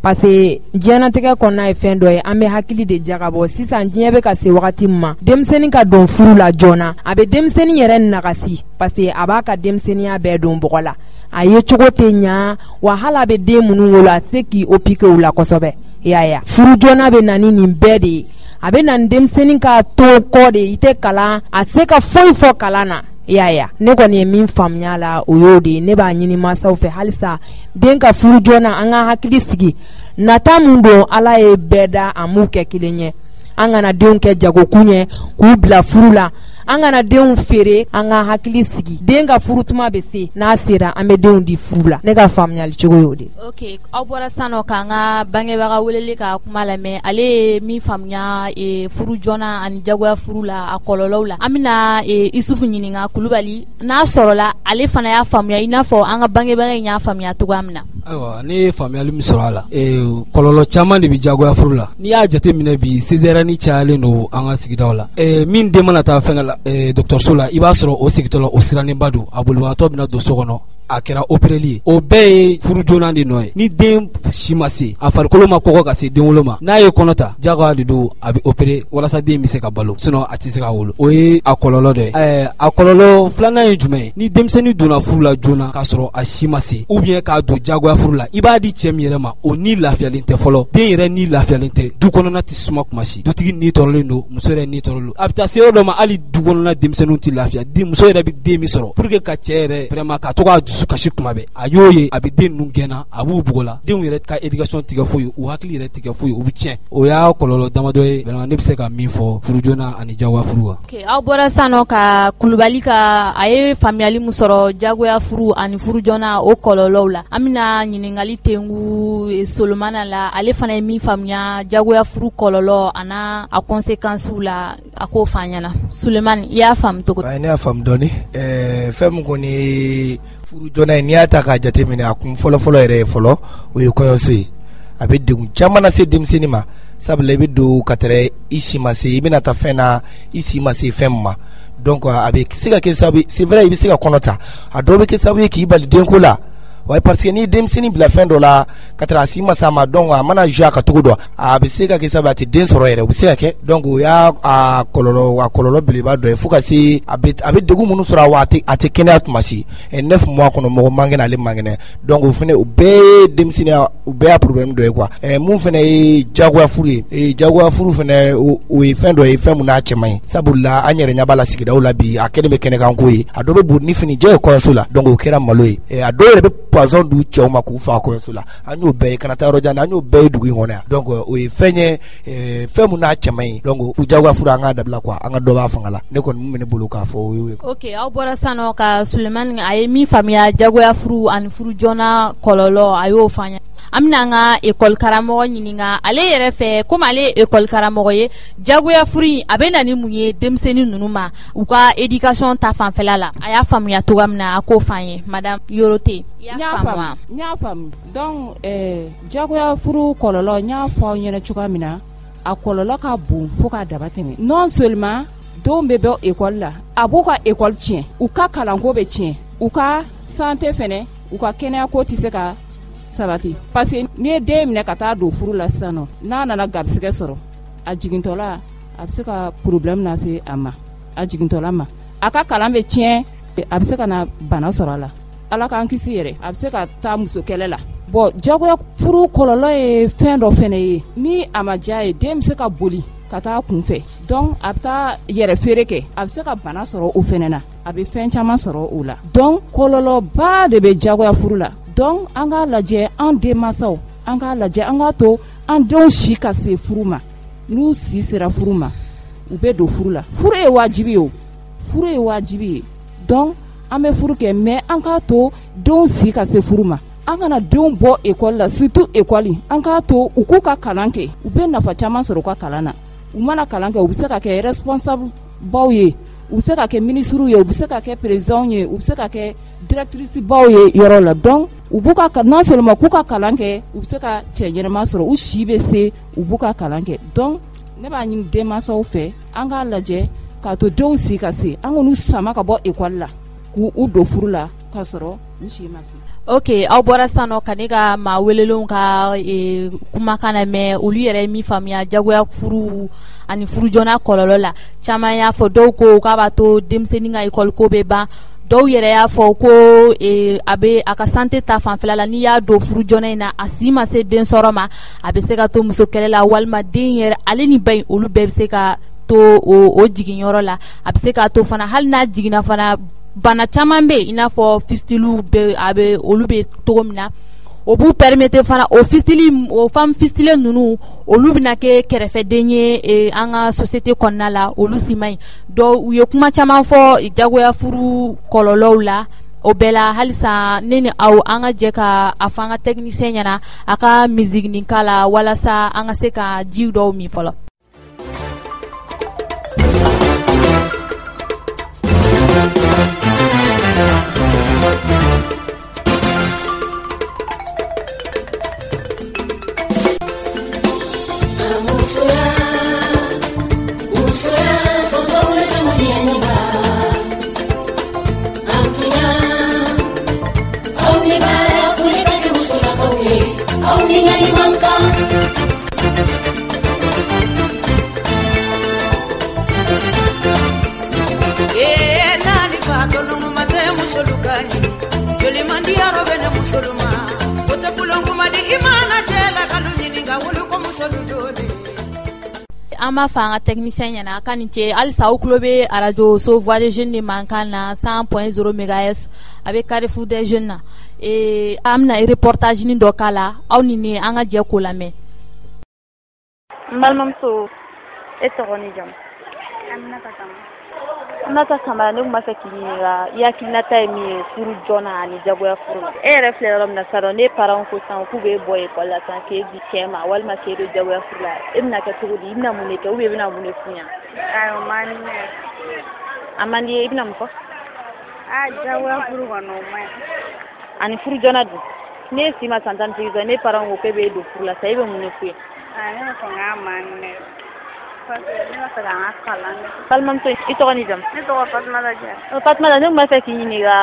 Parce que diɲɛnatigɛ kɔnɔna ye fɛn dɔ ye, an bɛ hakili de jagabɔ. Sisan diɲɛ bɛ ka se wagati min ma, denmisɛnnin ka don furu la joona, a bɛ denmisɛnnin yɛrɛ nagasi, parce que a b'a ka denmisɛnninya bɛɛ don bɔgɔ la, a ye cogo tɛ ɲa, wa hali a bɛ den minnu wolo a tɛ se k'i opiquer u la kosɛbɛ. I y'a ye, furu joona bɛ na ni nin bɛɛ de ye, a bɛ na ni denmisɛnnin ka to kɔ de ye, i tɛ kalan, a tɛ se ka foyi fɔ kalan na. I y'a ye, ne kɔni ye min faamuya la o y'o de ye. Ne b'a ɲini mansaw fɛ halisa den ka furu joona, an ka hakili sigi, nata mun don, Ala ye bɛɛ da a m'u kɛ kelen ye, an kana denw kɛ jagokun ye k'u bila furu la, an kana denw feere, an ka hakili sigi, den ka furu tuma bɛ se, n'a sera an bɛ denw di furu la. Ne ka faamuyali cogo y'o de ye. Ok, aw bɔra sisan nɔ k'an ka bangebaga weleli ka kuma lamɛn, ale ye min faamuya furu joona ani jagoya furu la a kɔlɔlɔw la. An bɛna Isufu ɲininka Kulubali, n'a sɔrɔla ale fana y'a faamuya i n'a fɔ an ka bangebaga in y'a faamuya cogoya min na. Ayiwa, ne ye faamuyali min sɔrɔ a la, kɔlɔlɔ caman de bɛ jagoya furu la. N'i y'a jateminɛ bi, césarienne cayalen don an ka sigidaw la. Min den mana taa fɛnkɛ la, dɔgɔtɔrɔso la, i b'a sɔrɔ o sigitɔ la o sirannenba don, a bolibagatɔ bɛna don so kɔnɔ, a kɛra opéreli ye. O bɛɛ ye furu joona de nɔ ye. Ni den si ma se, a farikolo ma kɔgɔ ka se denwolo ma, n'a ye kɔnɔ ta, jagoya de don, a bɛ opéré walasa den bɛ se ka balo, sinon a tɛ se ka wolo. O ye a kɔlɔlɔ dɔ ye. A kɔlɔlɔ filanan ye jumɛn ye? Ni denmisɛnnin donna furu la joona k'a sɔrɔ a si ma se, ou bien k'a don jagoya furu la, i b'a di cɛ min yɛrɛ ma, o ni lafiyalen tɛ fɔlɔ, den yɛrɛ ni lafiyalen tɛ, du kɔnɔna tɛ suma kuma si, dutigi ni tɔɔrɔlen don, muso yɛrɛ ni tɔɔrɔlen don. A bɛ taa se yɔrɔ dɔ ma, hali du kɔnɔna denmisɛnninw tɛ lafiya, muso yɛrɛ bɛ den min sɔrɔ pour que ka cɛ yɛrɛ vraiment ka to k'a dusu dusu kasi kuma bɛɛ, a y'o ye a bɛ den ninnu gɛnna, a b'u bugɔ la, denw yɛrɛ ka éducation tigɛ foyi, u hakili yɛrɛ tigɛ foyi, u bɛ tiɲɛ. O y'a kɔlɔlɔ damadɔ ye vraiment ne bɛ se ka min fɔ furu joona ani jagoya furu kan. Ok, aw bɔra sisan nɔ ka Kulubali ka a ye faamuyali min sɔrɔ jagoya furu ani furu joona o kɔlɔlɔw la. An bɛna ɲininkali tengu Solomana la, ale fana ye min faamuya jagoya furu kɔlɔlɔ an'a a conséquences la, a k'o f'an ɲɛna. Sulemani, i y'a faamu cogo di? Ne y'a faamu dɔɔni. Fɛn min kɔni ye furu joona ye, n'i y'a ta k'a jateminɛ, a kun fɔlɔfɔlɔ yɛrɛ ye fɔlɔ, o ye kɔɲɔso ye. A bɛ degun caman lase denmisɛnnin ma, sabula i bɛ don ka tɛrɛ i si ma se, i bɛna taa fɛn na i si ma se fɛn min ma. Donc a bɛ se ka kɛ sababu ye, c'est vrai, i bɛ se ka kɔnɔ ta, a dɔw bɛ kɛ sababu ye k'i bali denko la. Ouais, parce que n'i ye denmisɛnnin bila fɛn dɔ la ka tɛrɛ a si ma se a ma, donc a mana jouer a ka cogo dɔ, a bɛ se ka kɛ sababu ye a tɛ den sɔrɔ yɛrɛ, o bɛ se ka kɛ. Donc o y'a a kɔlɔlɔ belebeleba dɔ ye, fo ka se a bɛ degun minnu sɔrɔ, wa a tɛ kɛnɛya tuma si. 9 mois kɔnɔ, mɔgɔ man kɛnɛ, ale man kɛnɛ. Donc o fana, o bɛɛ ye denmisɛnninya, o bɛɛ y'a problème dɔ ye quoi. Mun fana ye jagoya furu ye, jagoya furu fana, o ye fɛn dɔ ye, fɛn mun n'a cɛ man ɲi, sabula an yɛrɛ ɲɛ b'a la sigidaw la bi, a kɛlen bɛ kɛnɛkanko ye. A dɔw bɛ bori ni finijɛ ye kɔɲɔso la, donc o kɛra malo ye. A dɔw yɛrɛ bɛ poison d'u cɛw ma k'u faga kɔɲɔso la. An y'o bɛɛ ye, kana taa yɔrɔ jan na, an y'o bɛɛ ye dugu in kɔnɔ yan. Donc o ye fɛn ye, fɛn mun n'a cɛ man ɲi. Donc jagoya furu, an k'a dabila quoi, an ka dɔ b'a fanga la. Ne kɔni mun bɛ ne bolo k'a fɔ o y'o ye. Ok, aw bɔra sisan nɔ ka Sulemani, a ye min faamuya jagoya furu ani furu joona kɔlɔlɔ, a y'o fɔ an ɲɛna. An bɛna an ka école karamɔgɔ ɲininka, ale yɛrɛ fɛ, komi ale ye école karamɔgɔ ye, jagoya furu in a bɛ na ni mun ye denmisɛnnin ninnu ma u ka éducation ta fanfɛla la? A y'a faamuya cogoya min na, a k'o f'an ye. Madame Yorote, i y'a faamu? N y'a faamu. Donc jagoya furu kɔlɔlɔ, n y'a fɔ aw ɲɛna cogoya min na, a kɔlɔlɔ ka bon fo k'a dama tɛmɛ. Non seulement denw bɛ bɔ école la, a b'u ka école tiɲɛ, u ka kalanko bɛ tiɲɛ, u ka santé fɛnɛ, u ka kɛnɛyako tɛ se ka sabati, parce que n'i ye den minɛ ka taa don furu la sisan nɔ, n'a nana garisɛgɛ sɔrɔ, a jigintɔla a bɛ se ka problème lase a ma, a jigintɔla ma, a ka kalan bɛ tiɲɛ, a bɛ se ka na bana sɔrɔ a la, Ala k'an kisi yɛrɛ, a bɛ se ka taa muso kɛlɛ la. Bon, jagoya furu kɔlɔlɔ ye fɛn dɔ fɛnɛ ye, ni a ma diya ye, den bɛ se ka boli ka taa kun fɛ, donc a bɛ taa yɛrɛ feere kɛ, a bɛ se ka bana sɔrɔ o fɛnɛ na, a bɛ fɛn caman sɔrɔ o la. Donc kɔlɔlɔba de bɛ jagoya furu la. Donc an k'a lajɛ, an denmansaw, an k'a lajɛ, an k'a to an denw si ka se furu ma. N'u si sera furu ma, u bɛ don furu la. Furu ye wajibi ye, o furu ye wajibi ye. Donc an bɛ furu kɛ, mais an k'a to denw si ka se furu ma. An kana denw bɔ école la, surtout école, an k'a to u k'u ka kalan kɛ, u bɛ nafa caman sɔrɔ u ka kalan na. U mana kalan kɛ, u bɛ se ka kɛ responsable baw ye, u bɛ se ka kɛ ministres ye, u bɛ se ka kɛ présidents ye, u bɛ se ka kɛ directrice baw ye yɔrɔ la. Donc u b'u ka, non seulement k'u ka kalan kɛ, u bɛ se ka cɛ ɲɛnama sɔrɔ, u si bɛ se, u b'u ka kalan kɛ. Donc ne b'a ɲini denmansaw fɛ, an k'a lajɛ k'a to denw si ka se, an k'u sama ka bɔ école la k'u don furu la k'a sɔrɔ u si ma se. Ok, aw bɔra sisan nɔ ka ne ka maa welelenw ka kumakan lamɛn, olu yɛrɛ ye min faamuya jagoya furu ani furu joona kɔlɔlɔ la. Caman y'a fɔ, dɔw ko k'a b'a to denmisɛnnin ka école ko bɛ ban, dɔw yɛrɛ y'a fɔ ko a bɛ a ka santé ta fanfɛla la, n'i y'a don furu joona in na, a si ma se den sɔrɔ ma, a bɛ se ka to muso kɛlɛ la, walima den yɛrɛ ale ni ba in olu bɛɛ bɛ se ka to o jiginyɔrɔ la. A bɛ se k'a to fana, hali n'a jiginna fana, bana caman bɛ yen, i n'a fɔ fistulew bɛ, a bɛ olu bɛ cogo min na, o b'u permettre fana, o fistule, o femme fistule ninnu, olu bɛna kɛ kɛrɛfɛden ye an ka société kɔnɔna la, olu si man ɲi. Donc u ye kuma caman fɔ jagoya furu kɔlɔlɔw la. O bɛɛ la, halisa ne ni aw, an ka jɛ ka a fɔ an ka technicien ɲɛna a ka musique nin k'a la, walasa an ka se ka ji dɔw min fɔlɔ. An b'a fɔ an ka technicien ɲɛna k'a ni ce. Halisa aw tulo bɛ arajo so Voix des Jeunes de mankan na 100.0 MHz, a bɛ Carrefour des Jeunes na. An bɛna reportage ni dɔ k'a la, aw ni ne an ka jɛ k'o lamɛn. N balimamuso, e tɔgɔ ni jamu? Aminata Kamara. Aminata Kamara, ne tun b'a fɛ k'i ɲininka, i hakilinata ye min ye furu joona ani jagoya furu la. E yɛrɛ filɛ yɔrɔ min na sisan, ne parents ko sisan k'u b'e bɔ école la sisan k'e di cɛ ma walima k'e don jagoya furu la, e bɛna kɛ cogo di? I bɛna mun de kɛ ou bien i bɛna mun de f'u ɲɛna? Ayi, o man di ne ye. A man di ye, i bɛna mun fɔ? Aa, jagoya furu kɔni, o man ɲi. Ani furu joona dun? Ne si ma san 18 sɔrɔ, ne parents ko k'e b'e don furu la sisan, e bɛ mun de f'u ye? Aa, ne b'a fɔ k'a man di ne ye. Parce que ne b'a fɛ ka n ka kalan kɛ. Balimamuso, i tɔgɔ ni jamu? Ne tɔgɔ Fatumata Jara. Fatumata, ne tun b'a fɛ k'i ɲininka,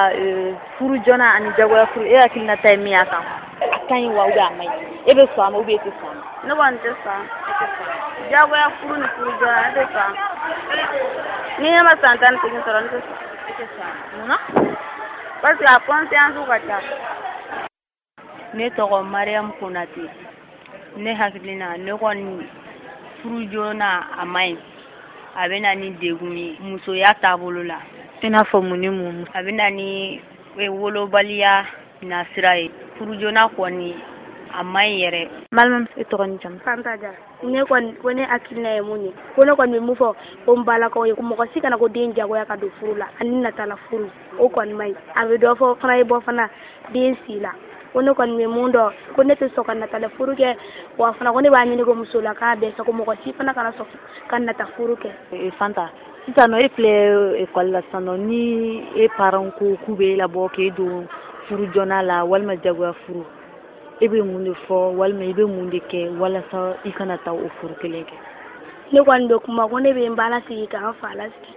furu joona ani jagoya furu, e hakilinata ye min y'a kan? A ka ɲi wa ou bien a man ɲi? E bɛ sɔn a ma ou bien e tɛ sɔn a ma? Ne kɔni tɛ sɔn a ma. Jagoya furu ni furu joona, ne tɛ sɔn a ma. Ni ne ma san 18 sɔrɔ, ne tɛ sɔn. E tɛ sɔn a ma. Mun na? Parce que a conséquence ka ca. Ne tɔgɔ Mariam Konate. Ne hakilina, ne kɔni, furu joona a man ɲi. A bɛ na ni degun ye musoya taabolo la. I n'a fɔ mun ni mun? A bɛ na ni wolobaliya nasira ye. Furu joona kɔni a man ɲi yɛrɛ. Balimamuso, e tɔgɔ ni jamu? Fanta Jara. Ne kɔni ko ne hakilina ye mun ye, ko ne kɔni bɛ mun fɔ ko n balakaw ye, ko mɔgɔ si kana ko den jagoya ka don furu la ani natala furu, o kɔni man ɲi. A bɛ dɔ fɔ fana, ye bɔ fana den si la. Ko ne kɔni bɛ mun dɔn, ko ne tɛ sɔn ka natala furu kɛ, wa fana ko ne b'a ɲini ko musolaka bɛɛ fɛ, ko mɔgɔ si fana kana sɔn ka nata furu kɛ. Fanta, sisan nɔ e filɛ école la sisan nɔ, ni e parents ko k'u bɛ e labɔ k'e don furu joona la walima jagoya furu, e bɛ mun de fɔ walima i bɛ mun de kɛ walasa i kana taa o furu kelen kɛ? Ne kɔni bɛ kuma ko ne bɛ n ba lasigi ka n fa lasigi.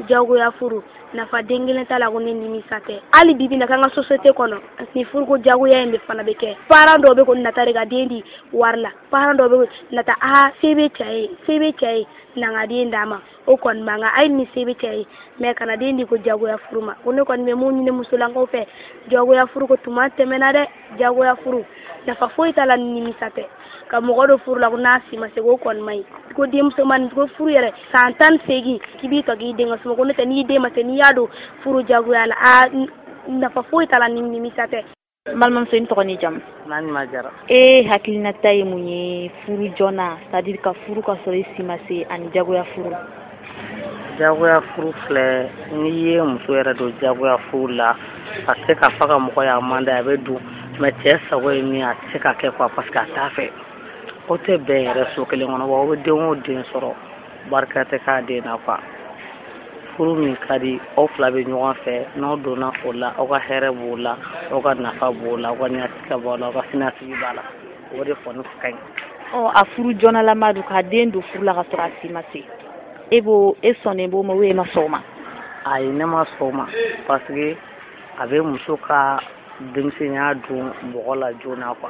Jagoya furu nafa den kelen t'a la, ko ne nimisa tɛ. Hali bi bi na k'an ka société kɔnɔ, ni furuko jagoya in bɛ fana bɛ kɛ. Parent dɔw bɛ ko nata de ka den di wari la, parent dɔw bɛ ko nata, aa, se bɛ cɛ ye, se bɛ cɛ ye, na n ka den d'a ma. O kɔni man kan. Hali ni se bɛ cɛ ye, mais kana den di ko jagoya furu ma. Ko ne kɔni bɛ mun ɲini musolakaw fɛ, jagoya furu ko tuma tɛmɛna dɛ. Jagoya furu nafa foyi t'a la ni nimisa tɛ. Ka mɔgɔ dɔ furu la ko n'a si ma se, k'o kɔni man ɲi. Ko denmusomanin ko furu yɛrɛ san 18 k'i b'i tɔ k'i den ka suma, ko ne tɛ, n'i den ma se, n'i y'a don furu jagoya la, aa, nafa foyi t'a la ni nimisa tɛ. N balimamuso, i tɔgɔ ni jamu? Naɲuma Jara. E hakilinata ye mun ye furu joona, c'est à dire ka furu ka sɔrɔ i si ma se, ani jagoya furu? Jagoya furu filɛ, n'i ye muso yɛrɛ don jagoya furu la, a tɛ se k'a fɔ ka mɔgɔ y'a man d'a ye, a bɛ don, mais cɛ sago ye min ye, a tɛ se ka kɛ quoi, parce que a t'a fɛ. O tɛ bɛn yɛrɛ so kelen kɔnɔ, wa o bɛ den o den sɔrɔ, barika tɛ k'a den na quoi. Furu min ka di, aw fila bɛ ɲɔgɔn fɛ, n'aw donna o la, aw ka hɛrɛ b'o la, aw ka nafa b'o la, aw ka ɲɛsigi b'o la, aw ka siniɲɛsigi b'a la, o de kɔni ka ɲi. Ɔ, a furu joonalama don, k'a den don furu la ka sɔrɔ a si ma se, e b'o, e sɔnnen b'o ma ou e ma sɔn o ma? Ayi, ne ma sɔn o ma, parce que a bɛ muso ka denmisɛnya don mɔgɔ la joona quoi.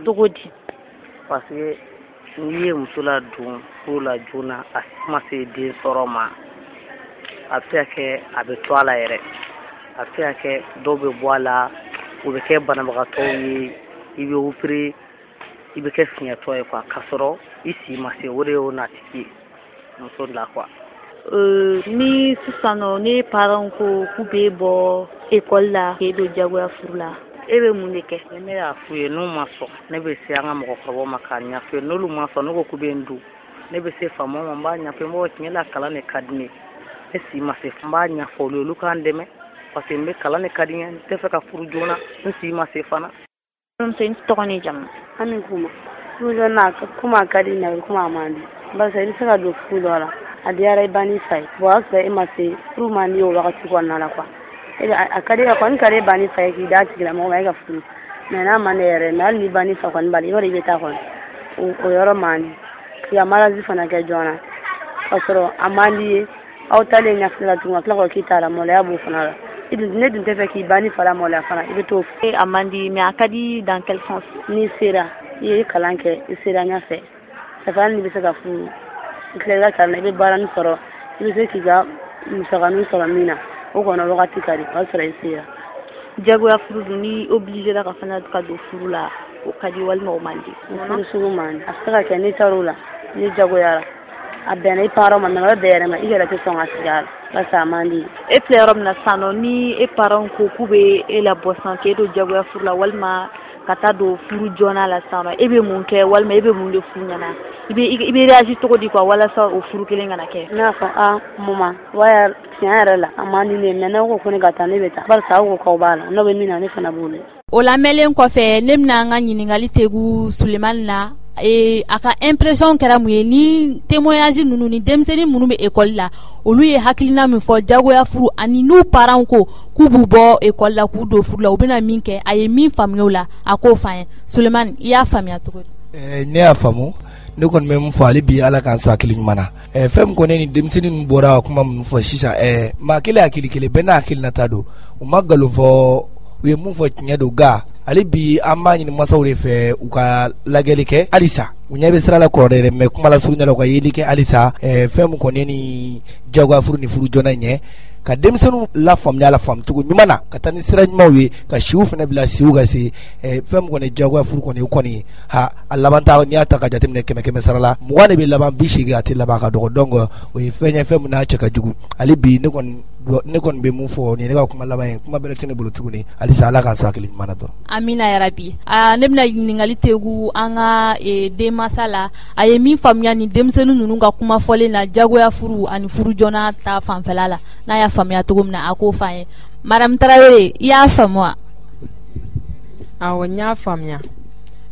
Cogo di? Parce que n'i ye muso ladon furu la joona, a si ma se den sɔrɔ ma, a bɛ se ka kɛ a bɛ to a la yɛrɛ, a bɛ se ka kɛ dɔw bɛ bɔ a la, u bɛ kɛ banabagatɔw ye, i bɛ opéré, i bɛ kɛ fiɲɛtɔ ye quoi, k'a sɔrɔ i si ma se, o de y'o natigi ye muso la quoi. Ni sisan nɔ ne parents ko k'u b'e bɔ école la k'e don jagoya furu la, e bɛ mun de kɛ? Ni ne y'a f'u ye n'u ma sɔn, ne bɛ se an ka mɔgɔkɔrɔbaw ma k'a ɲɛf'u ye. N'olu ma sɔn, ne ko k'u bɛ n don, ne bɛ se faamaw ma, n b'a ɲɛf'u ye, n b'a fɔ tiɲɛ la kalan de ka di ne ye, ne si ma se, n b'a ɲɛfɔ olu ye, olu k'an dɛmɛ, parce que n bɛ kalan de ka di n ye, n tɛ fɛ ka furu joona, n si ma se fana. Balimamuso, i tɔgɔ ni jamu? Ami Kuma. Furu joona komi a ka di n ye, komi a man di, barisa i bɛ se ka don furu dɔ la, a diyara i ba n'i fa ye, bon o y'a sɔrɔ e ma se, furu man di o wagati kɔnɔna la quoi. E bɛ a ka di, a kɔni ka di e ba n'i fa ye k'i d'a tigilamɔgɔ ma e ka furu, mais n'a man di yɛrɛ, mais hali ni ba n'i fa kɔni b'a la, i b'a dɔn i bɛ taa kɔni, o yɔrɔ man di. K'i ka mariage fana kɛ joona k'a sɔrɔ a man di ye, aw taalen ɲɛfɛ la tuguni ka tila k'a k'i t'a la, maloya b'o fana la. Ne dun tɛ fɛ k'i ba ni fa la maloya fana, i bɛ t'o fɛ. A man di, mais a ka di dans quel sens? N'i sera, i ye kalan kɛ, i sera ɲɛfɛ, ça fait hali n'i bɛ se ka furu, i tilala i ka kalan na, i bɛ baaranin sɔrɔ, i bɛ se k'i ka musakanin sɔrɔ min na, o kɔni wagati ka di, o y'a sɔrɔ i sera. Jagoya furu dun, n'i obligé la ka fana ka don furu la, o ka di walima o man di? O furu sugu man di. A bɛ se ka kɛ n'i taara o la, n'i jagoyara, A bɛnna i parents ma, mais a bɛ bɛn yɛrɛ ma, i yɛrɛ tɛ sɔn ka sigi a la parce que a man di. E filɛ yɔrɔ min na sisan nɔ, ni e parents ko k'u bɛ e labɔ sisan k'e don jagoya furu la walima ka taa don furu joona la sisan nɔ, e bɛ mun kɛ walima e bɛ mun de f'u ɲɛna? I bɛ réagir cogo di quoi walasa o furu kelen kana kɛ? Ne b'a fɔ a maman, waya tiɲɛ yɛrɛ la a man di ne ye, mais n'aw ko ko ne ka taa, ne bɛ taa, barisa aw ko k'aw b'a la, n'aw bɛ min na ne fana b'o la. O lamɛnlen kɔfɛ, ne bɛna an ka ɲininkali tegu Sulemani la. A ka impression kɛra mun ye ni témoignage ninnu ni denmisɛnnin minnu bɛ école la, olu ye hakilina min fɔ jagoya furu ani n'u parents ko k'u b'u bɔ école la k'u don furu la, u bɛna min kɛ, a ye min faamuya o la, a k'o f'an ye. Sulemani, i y'a faamuya cogo di? Ne y'a faamu. Ne kɔni bɛ mun fɔ hali bi, Ala k'an sɔn hakili ɲuman na. Fɛn min kɔni ni denmisɛnnin ninnu bɔra ka kuma minnu fɔ sisan, maa kelen hakili kelen, bɛɛ n'a hakilinata don. U ma nkalon fɔ, u ye mun fɔ tiɲɛ don, nka hali bi an b'a ɲini masaw de fɛ u ka lajɛli kɛ halisa. U ɲɛ bɛ sira la kɔrɔ dɛ, mais kuma la surunya la u ka yeli kɛ halisa. Fɛn min kɔni ni jagoya furu ni furu joona ɲɛ, ka denmisɛnninw lafaamuya la faamucogo ɲuman na, ka taa ni sira ɲumanw ye, ka siw fana bila siw ka se. Fɛn min kɔni jagoya furu kɔni, o kɔni ha a laban ta, n'i y'a ta ka jateminɛ 100 100 sara la, 20 de bɛ laban, 80 a tɛ laban, a ka dɔgɔ. Donc o ye fɛn ye, fɛn min n'a cɛ ka jugu. Hali bi ne kɔni bɛ mun fɔ, nin ye ne ka kuma laban ye, kuma bɛrɛ tɛ ne bolo tuguni. Halisa Ala k'an sɔn hakili ɲuman na dɔrɔn. Amina yarabi. Ne bɛna ɲininkali tegu an ka denmansa la, a ye min faamuya ni denmisɛnnin ninnu ka kuma fɔlen na jagoya furu ani furu joona ta fanfɛla la, n'a y'a faamuya cogo min na, a k'o f'an ye. Madame Tarawele, i y'a faamu wa? Awɔ, n y'a faamuya.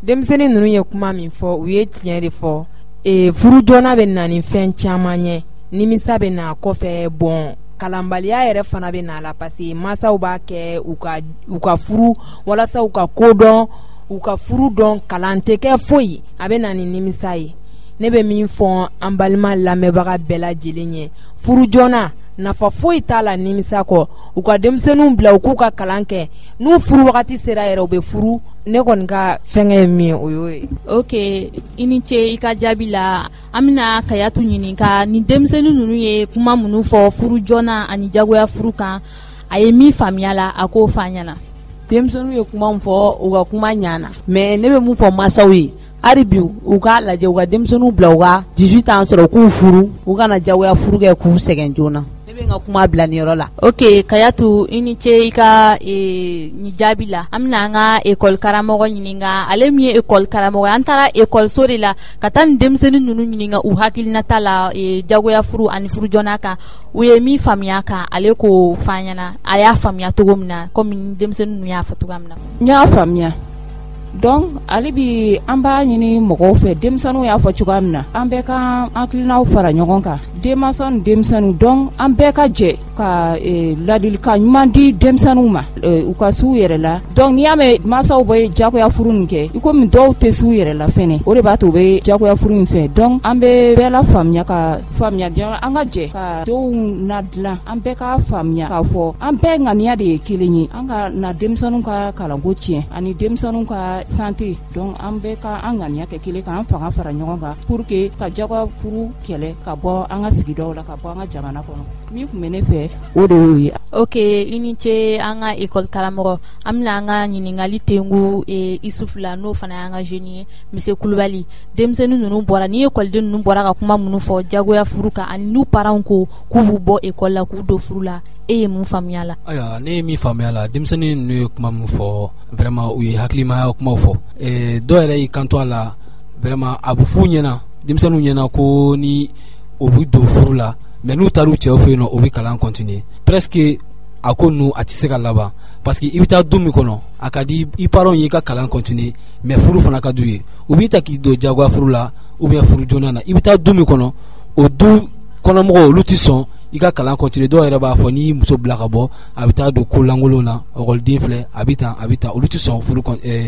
Denmisɛnnin ninnu ye kuma min fɔ, u ye tiɲɛ de fɔ. Furu joona bɛ na ni fɛn caman ye, nimisa bɛ na kɔfɛ, bon kalanbaliya yɛrɛ fana bɛ na la, parce que mansaw b'a kɛ u ka furu walasa u ka ko dɔn, u ka furu dɔn, kalan tɛ kɛ foyi, a bɛ na ni nimisa ye. Ne bɛ min fɔ an balima lamɛnbaga bɛɛ lajɛlen ye, furu joona nafa foyi t'a la nimisa kɔ. U ka denmisɛnninw bila u k'u ka kalan kɛ, n'u furu wagati sera yɛrɛ u bɛ furu. Ne kɔni ka fɛnkɛ ye min ye, o y'o ye. Ok, i ni ce i ka jaabi la. An bɛna Kayatu ɲininka ni denmisɛnnin ninnu ye kuma minnu fɔ furu joona ani jagoya furu kan, a ye min faamuya la, a k'o f'an ɲɛna. Denmisɛnninw ye kuma min fɔ, u ka kuma ɲana, mais ne bɛ mun fɔ mansaw ye, hali bi u k'a lajɛ, u ka denmisɛnninw bila u ka 18 ans sɔrɔ, u k'u furu, u kana jagoya furu kɛ k'u sɛgɛn joona. Ne bɛ n ka kuma bila nin yɔrɔ la. Ok, Kayatu, i ni ce i ka nin jaabi la. An bɛna an ka école karamɔgɔ ɲininka, ale min ye école karamɔgɔ ye. An taara école so de la ka taa nin denmisɛnnin ninnu ɲininka u hakilinata la jagoya furu ani furu joona kan, u ye min faamuya kan, ale k'o f'an ɲɛna, a y'a faamuya cogo min na, komi denmisɛnnin ninnu y'a fɔ cogoya min na. N y'a faamuya. Donc hali bi an b'a ɲini mɔgɔw fɛ, denmisɛnninw y'a fɔ cogoya min na, an bɛɛ ka hakilinaw fara ɲɔgɔn kan, denmansaw ni denmisɛnninw. Donc an bɛɛ ka jɛ ka ladilikan ɲuman di denmisɛnninw ma, u ka s'u yɛrɛ la. Donc n'i y'a mɛn mansaw bɛ jagoya furu nin kɛ, i komi dɔw tɛ s'u yɛrɛ la fɛnɛ, o de b'a to u bɛ jagoya furu in fɛ. Donc an bɛ bɛɛ la faamuya, ka faamuya an ka jɛ ka denw nadilan, an bɛɛ ka faamuya k'a fɔ an bɛɛ ŋaniya de ye kelen ye, an ka na denmisɛnninw ka kalanko tiɲɛ ani denmisɛnninw ka santé. Donc an bɛɛ ka an ŋaniya kɛ kelen, k'an fanga fara ɲɔgɔn kan pour que ka jagoya furu kɛlɛ ka bɔ an ka sigidaw la, ka bɔ an ka jamana kɔnɔ. Min tun bɛ ne fɛ, o de y'o ye. Ok, i ni ce an ka école karamɔgɔ. An bɛna an ka ɲininkali tengu Isufu la, n'o fana y'an ka jeune ye, monsieur Kulubali. Denmisɛnnin ninnu bɔra, ni école ninnu bɔra ka kuma minnu fɔ jagoya furu kan ani n'u parents ko k'u b'u bɔ école la k'u don furu la, e ye mun faamuya la? Ayiwa, ne ye min faamuya la, denmisɛnnin ninnu ye kuma min fɔ, vraiment u ye hakilimaya kumaw fɔ. Dɔw yɛrɛ y'i kanto a la, vraiment a bɛ f'u ɲɛna, denmisɛnninw ɲɛna ko ni o bɛ don furu la, mais n'u taara u cɛw fɛ yen nɔ, u bɛ kalan continuer. Presque a ko ninnu a tɛ se ka laban, parce que i bɛ taa du min kɔnɔ, a ka di i parents ye i ka kalan continuer, mais furu fana ka d'u ye. U b'i ta k'i don jagoya furu la ou bien furu joona na, i bɛ taa du min kɔnɔ, o du kɔnɔmɔgɔw olu tɛ sɔn i ka kalan continuer. Dɔw yɛrɛ b'a fɔ n'i muso bila ka bɔ, a bɛ taa don ko lankolon na, ekɔliden filɛ, a bɛ tan a bɛ tan, olu tɛ sɔn furu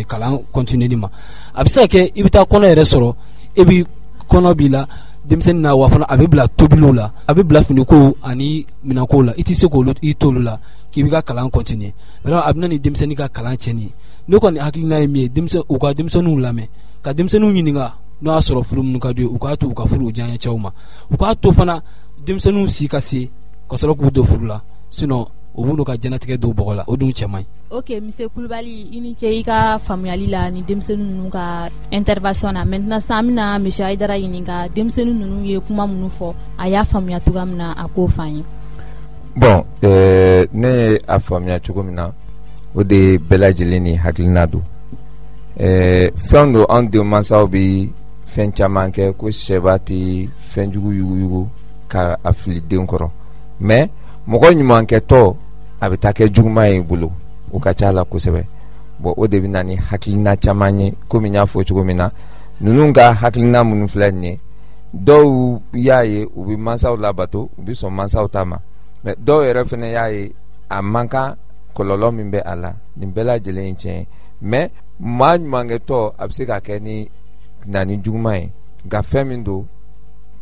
kalan continuer ma. A bɛ se ka kɛ i bɛ taa kɔnɔ yɛrɛ sɔrɔ, e bɛ kɔnɔ b'i la denmisɛnnin na, wa fana a bɛ bila tobiliw la, a bɛ bila finikow ani minɛnkow la, i tɛ se k'olu i t'olu la k'i b'i ka kalan continuer. Vraiment a bɛ na ni denmisɛnnin ka kalan tiɲɛni ye. Ne kɔni hakilina ye min ye, u ka denmisɛnninw lamɛn, ka denmisɛnninw ɲininka n'o y'a sɔrɔ furu minnu ka d'u ye, u k'a to u ka furu u diyaɲɛ cɛw ma, u k'a to fana denmisɛnninw si ka se ka sɔrɔ k'u don furu la, sinon u b'u ka diɲɛnatigɛ don bɔgɔ la, o dun cɛ man ɲi. Ok, monsieur Kulubali, i ni ce i ka faamuyali la ni denmisɛnnin ninnu ka intervention na. Maintenant sisan, an bɛna monsieur Hayidara ɲininka, denmisɛnnin ninnu ye kuma minnu fɔ, a y'a faamuya cogoya min na, a k'o fɔ an ye. Bon, ne ye a faamuya cogo min na, o de ye bɛɛ lajɛlen ni hakilina don. Fɛn don, an denmansaw bɛ fɛn caman kɛ ko sɛba tɛ fɛnjugu yuguyugu ka a fili den kɔrɔ, mais mɔgɔ ɲumankɛtɔ a bɛ taa kɛ juguman ye i bolo, o ka ca la kosɛbɛ. Bon, o de bɛ na ni hakilina caman ye. Komi n y'a fɔ cogo min na, ninnu ka hakilina minnu filɛ nin ye, dɔw y'a ye u bɛ mansaw labato, u bɛ sɔn mansaw ta ma, mais dɔw yɛrɛ fana y'a ye a man kan, kɔlɔlɔ min bɛ a la, nin bɛɛ lajɛlen ye tiɲɛ ye. Mais maa ɲumankɛtɔ a bɛ se ka kɛ ni na ni juguman ye. Nka fɛn min don,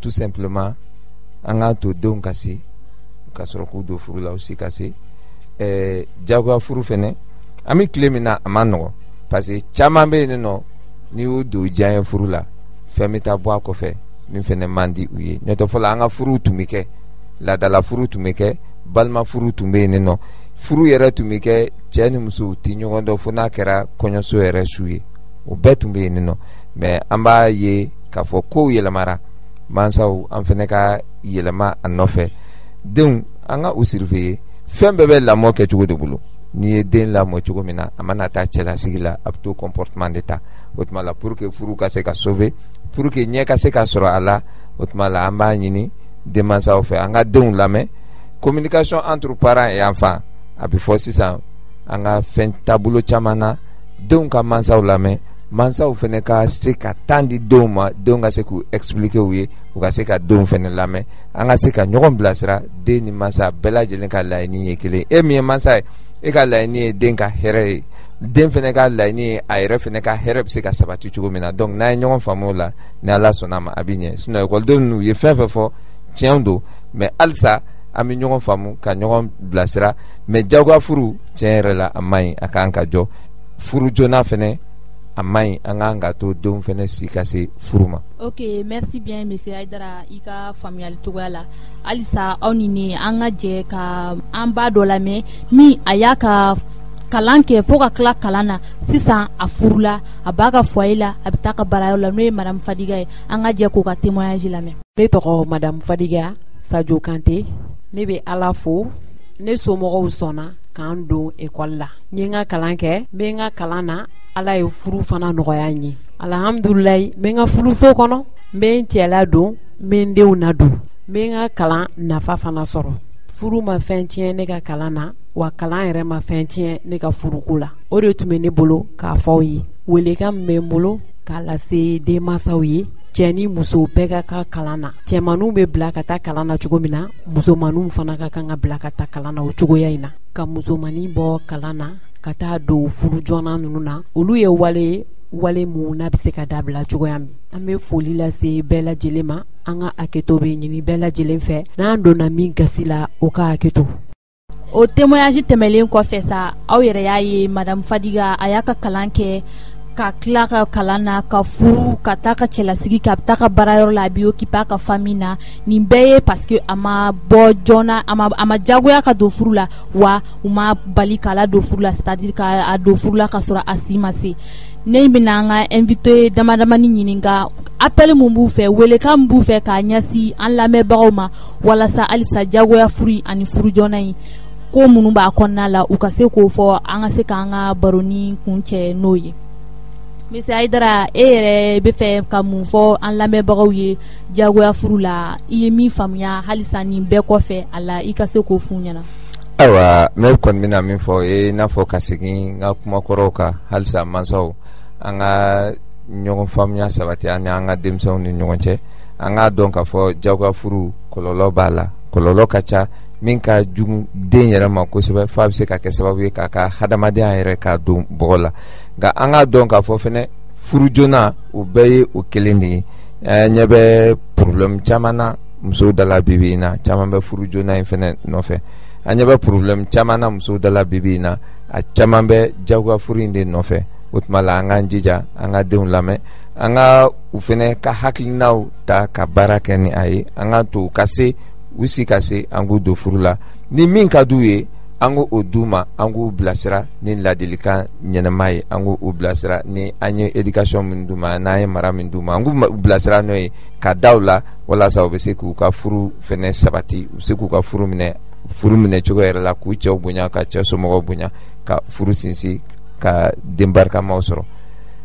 tout simplement, an k'a to denw ka se ka sɔrɔ k'u don furu la, u si ka se. Jagoya furu fɛnɛ, an bɛ tile min na, a man nɔgɔn, parce que caman bɛ yen nɔ, n'i y'u don diyaɲɛ furu la, fɛn bɛ taa bɔ a kɔfɛ min fɛnɛ man di u ye. N'o tɛ, fɔlɔ an ka furuw tun bɛ kɛ, laadala furu tun bɛ kɛ, balima furu tun bɛ yen nɔ, furu yɛrɛ tun bɛ kɛ, cɛ ni muso tɛ ɲɔgɔn dɔn fo n'a kɛra kɔɲɔso yɛrɛ su ye, o bɛɛ tun bɛ yen nɔ. Mais an b'a ye k'a fɔ kow yɛlɛmara, mansaw an fɛnɛ ka yɛlɛma a nɔfɛ. Denw, an ka u surveiller. Fɛn bɛɛ bɛ lamɔ kɛcogo de bolo. N'i ye den lamɔ cogo min na, a mana taa cɛlasigi la, a bɛ to comportement de ta. O tuma la, pour que furu ka se ka sauver, pour que ɲɛ ka se ka sɔrɔ a la, o tuma la, an b'a ɲini denmansaw fɛ, an ka denw lamɛn. Communication entre parents et enfants, a bɛ fɔ sisan an ka fɛn taabolo caman na, denw ka mansaw lamɛn, mansaw fɛnɛ ka se ka temps di denw ma, denw ka se k'u expliquer u ye, u ka se ka denw fɛnɛ lamɛn, an ka se ka ɲɔgɔn bilasira. Den ni mansa bɛɛ lajɛlen ka laɲini ye kelen. E min ye mansa ye, e ka laɲini ye den ka hɛrɛ ye, den fɛnɛ ka laɲini ye a yɛrɛ fɛnɛ ka hɛrɛ bɛ se ka sabati cogo min na. Donc n'an ye ɲɔgɔn faamu o la, ni Ala sɔnna a ma, a bɛ ɲɛ. Sinon ekɔlidenw ninnu ye fɛn fɛn fɔ, tiɲɛ don, mais halisa an bɛ ɲɔgɔn faamu ka ɲɔgɔn bilasira. Mais jagoya furu, tiɲɛ yɛrɛ la, a man ɲi, a kan ka jɔ. Furu joona fɛnɛ, a man ɲi, an kan ka to denw fɛnɛ si ka se furu ma. Ok, merci bien monsieur Hayidara, i ka faamuyali cogoya la. Halisa aw ni ne, an ka jɛ ka an ba dɔ lamɛn min a y'a ka kalan kɛ fo ka tila kalan na, sisan a furula, a b'a ka foyer la, a bɛ taa ka baarayɔrɔ la, n'o ye madame Fadiga ye. An ka jɛ k'o ka témoignage lamɛn. Ne tɔgɔ madame Fadiga Sadio Kante. Ne bɛ Ala fo, ne somɔgɔw sɔnna k'an don ekɔli la. N ye n ka kalan kɛ, n bɛ n ka kalan na, Ala ye furu fana nɔgɔya n ye. Alhamdulilayi, n bɛ n ka furuso kɔnɔ, n bɛ n cɛ ladon, n bɛ n denw ladon, n bɛ n ka kalan nafa fana sɔrɔ. Furu ma fɛn tiɲɛ ne ka kalan na, wa kalan yɛrɛ ma fɛn tiɲɛ ne ka furuko la. O de tun bɛ ne bolo k'a fɔ aw ye. Welekan min bɛ n bolo k'a lase denmansaw ye, cɛ ni muso bɛɛ ka kan kalan na. Cɛmanninw bɛ bila ka taa kalan na cogo min na, musomanninw fana ka kan ka bila ka taa kalan na o cogoya in na. Ka musomannin bɔ kalan na ka taa don furu joona ninnu na, olu ye wale wale mun n'a bɛ se ka dabila cogoya min. An bɛ foli lase bɛɛ lajɛlen ma. An ka hakɛto bɛ ɲini bɛɛ lajɛlen fɛ, n'an donna min gasi la, o ka hakɛto. O témoignage tɛmɛlen kɔfɛ sa, aw yɛrɛ y'a ye, madame Fadiga a y'a ka kalan kɛ, ka tila ka kalan na, ka furu, ka taa ka cɛlasigi kɛ, a bɛ taa ka baarayɔrɔ la, a bɛ occuper a ka famille na. Nin bɛɛ ye parce que a ma bɔ joona, a ma jagoya ka don furu la, wa u ma bali k'a la don furu la, c'est à dire k'a don furu la ka sɔrɔ a si ma se. Ne bɛna an ka invité dama damani ɲininka, appel mun b'u fɛ, welekan min b'u fɛ k'a ɲɛsin an lamɛnbagaw ma, walasa halisa jagoya furu ani furu joona in ko minnu b'a kɔnɔna la, u ka se k'o fɔ, an ka se k'an ka baroni kuncɛ n'o ye. Monsieur Hayidara, e yɛrɛ bɛ fɛ ka mun fɔ an lamɛnbagaw ye jagoya furu la? I ye min faamuya halisa nin bɛɛ kɔfɛ a la, i ka se k'o f'u ɲɛna. Ayiwa, ne kɔni bɛna min fɔ o ye, i n'a fɔ ka segin n ka kumakɔrɔw kan, halisa mansaw, an ka ɲɔgɔn faamuya sabati an ni an ka denmisɛnw ni ɲɔgɔn cɛ. An k'a dɔn k'a fɔ jagoya furu kɔlɔlɔ b'a la, kɔlɔlɔ ka ca, min ka jugu den yɛrɛ ma kosɛbɛ, f'a bɛ se ka kɛ sababu ye k'a ka hadamadenya yɛrɛ k'a don bɔgɔ la. Nka an k'a dɔn k'a fɔ fɛnɛ, furu joona, o bɛɛ ye o kelen de ye. Ɲɛ bɛ problème caman na musow da la bi bi in na, caman bɛ furu joona in fɛnɛ nɔfɛ. An ɲɛ bɛ problème caman na musow da la bi bi in na, a caman bɛ jagoya furu in de nɔfɛ. O tuma la, an k'an jija, an ka denw lamɛn, an ka u fɛnɛ ka hakilinaw ta ka baara kɛ ni a ye. An k'a to u ka se, u si ka se, an k'u don furu la ni min ka d'u ye. An k'o d'u ma, an k'u bilasira ni ladilikan ɲɛnama ye, an k'u bilasira ni an ye éducation min d'u ma, n'an ye mara min d'u ma, an k'u bilasira n'o ye ka da u la, walasa u bɛ se k'u ka furu fɛnɛ sabati, u bɛ se k'u ka furu minɛ furu minɛ cogo yɛrɛ la, k'u cɛw bonya, ka cɛ somɔgɔw bonya, ka furu sinsin, ka den barikamaw sɔrɔ.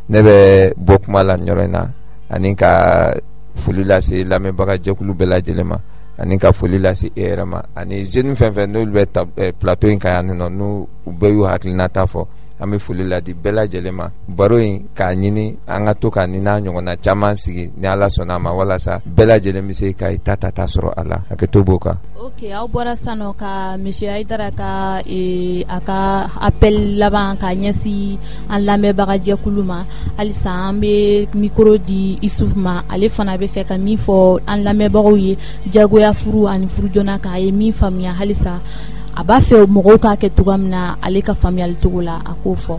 Ne bɛ bɔ kuma la nin yɔrɔ in na, ani ka foli lase lamɛnbaga jɛkulu bɛɛ lajɛlen ma, ani ka foli lase e yɛrɛ ma, ani jeune fɛn fɛn n'olu bɛ plateau in kan yan nɔ, n'u bɛɛ y'u hakilinata fɔ, an bɛ foli ladi bɛɛ lajɛlen ma. Baro in k'a ɲini an ka to ka ni n'a ɲɔgɔnna caman sigi ni Ala sɔnna a ma, walasa bɛɛ lajɛlen bɛ se ka i ta ta sɔrɔ a la. Hakɛto b'o kan. Ok, aw bɔra sisan nɔ ka monsieur Hayidara ka a ka appel laban ka ɲɛsin an lamɛnbaga jɛkulu ma. Halisa an bɛ micro di Isuf ma, ale fana bɛ fɛ ka min fɔ an lamɛnbagaw ye jagoya furu ani furu joona kan, a ye min faamuya halisa a b'a fɛ mɔgɔw k'a kɛ cogoya min na, ale ka faamuyali cogo la, a k'o fɔ.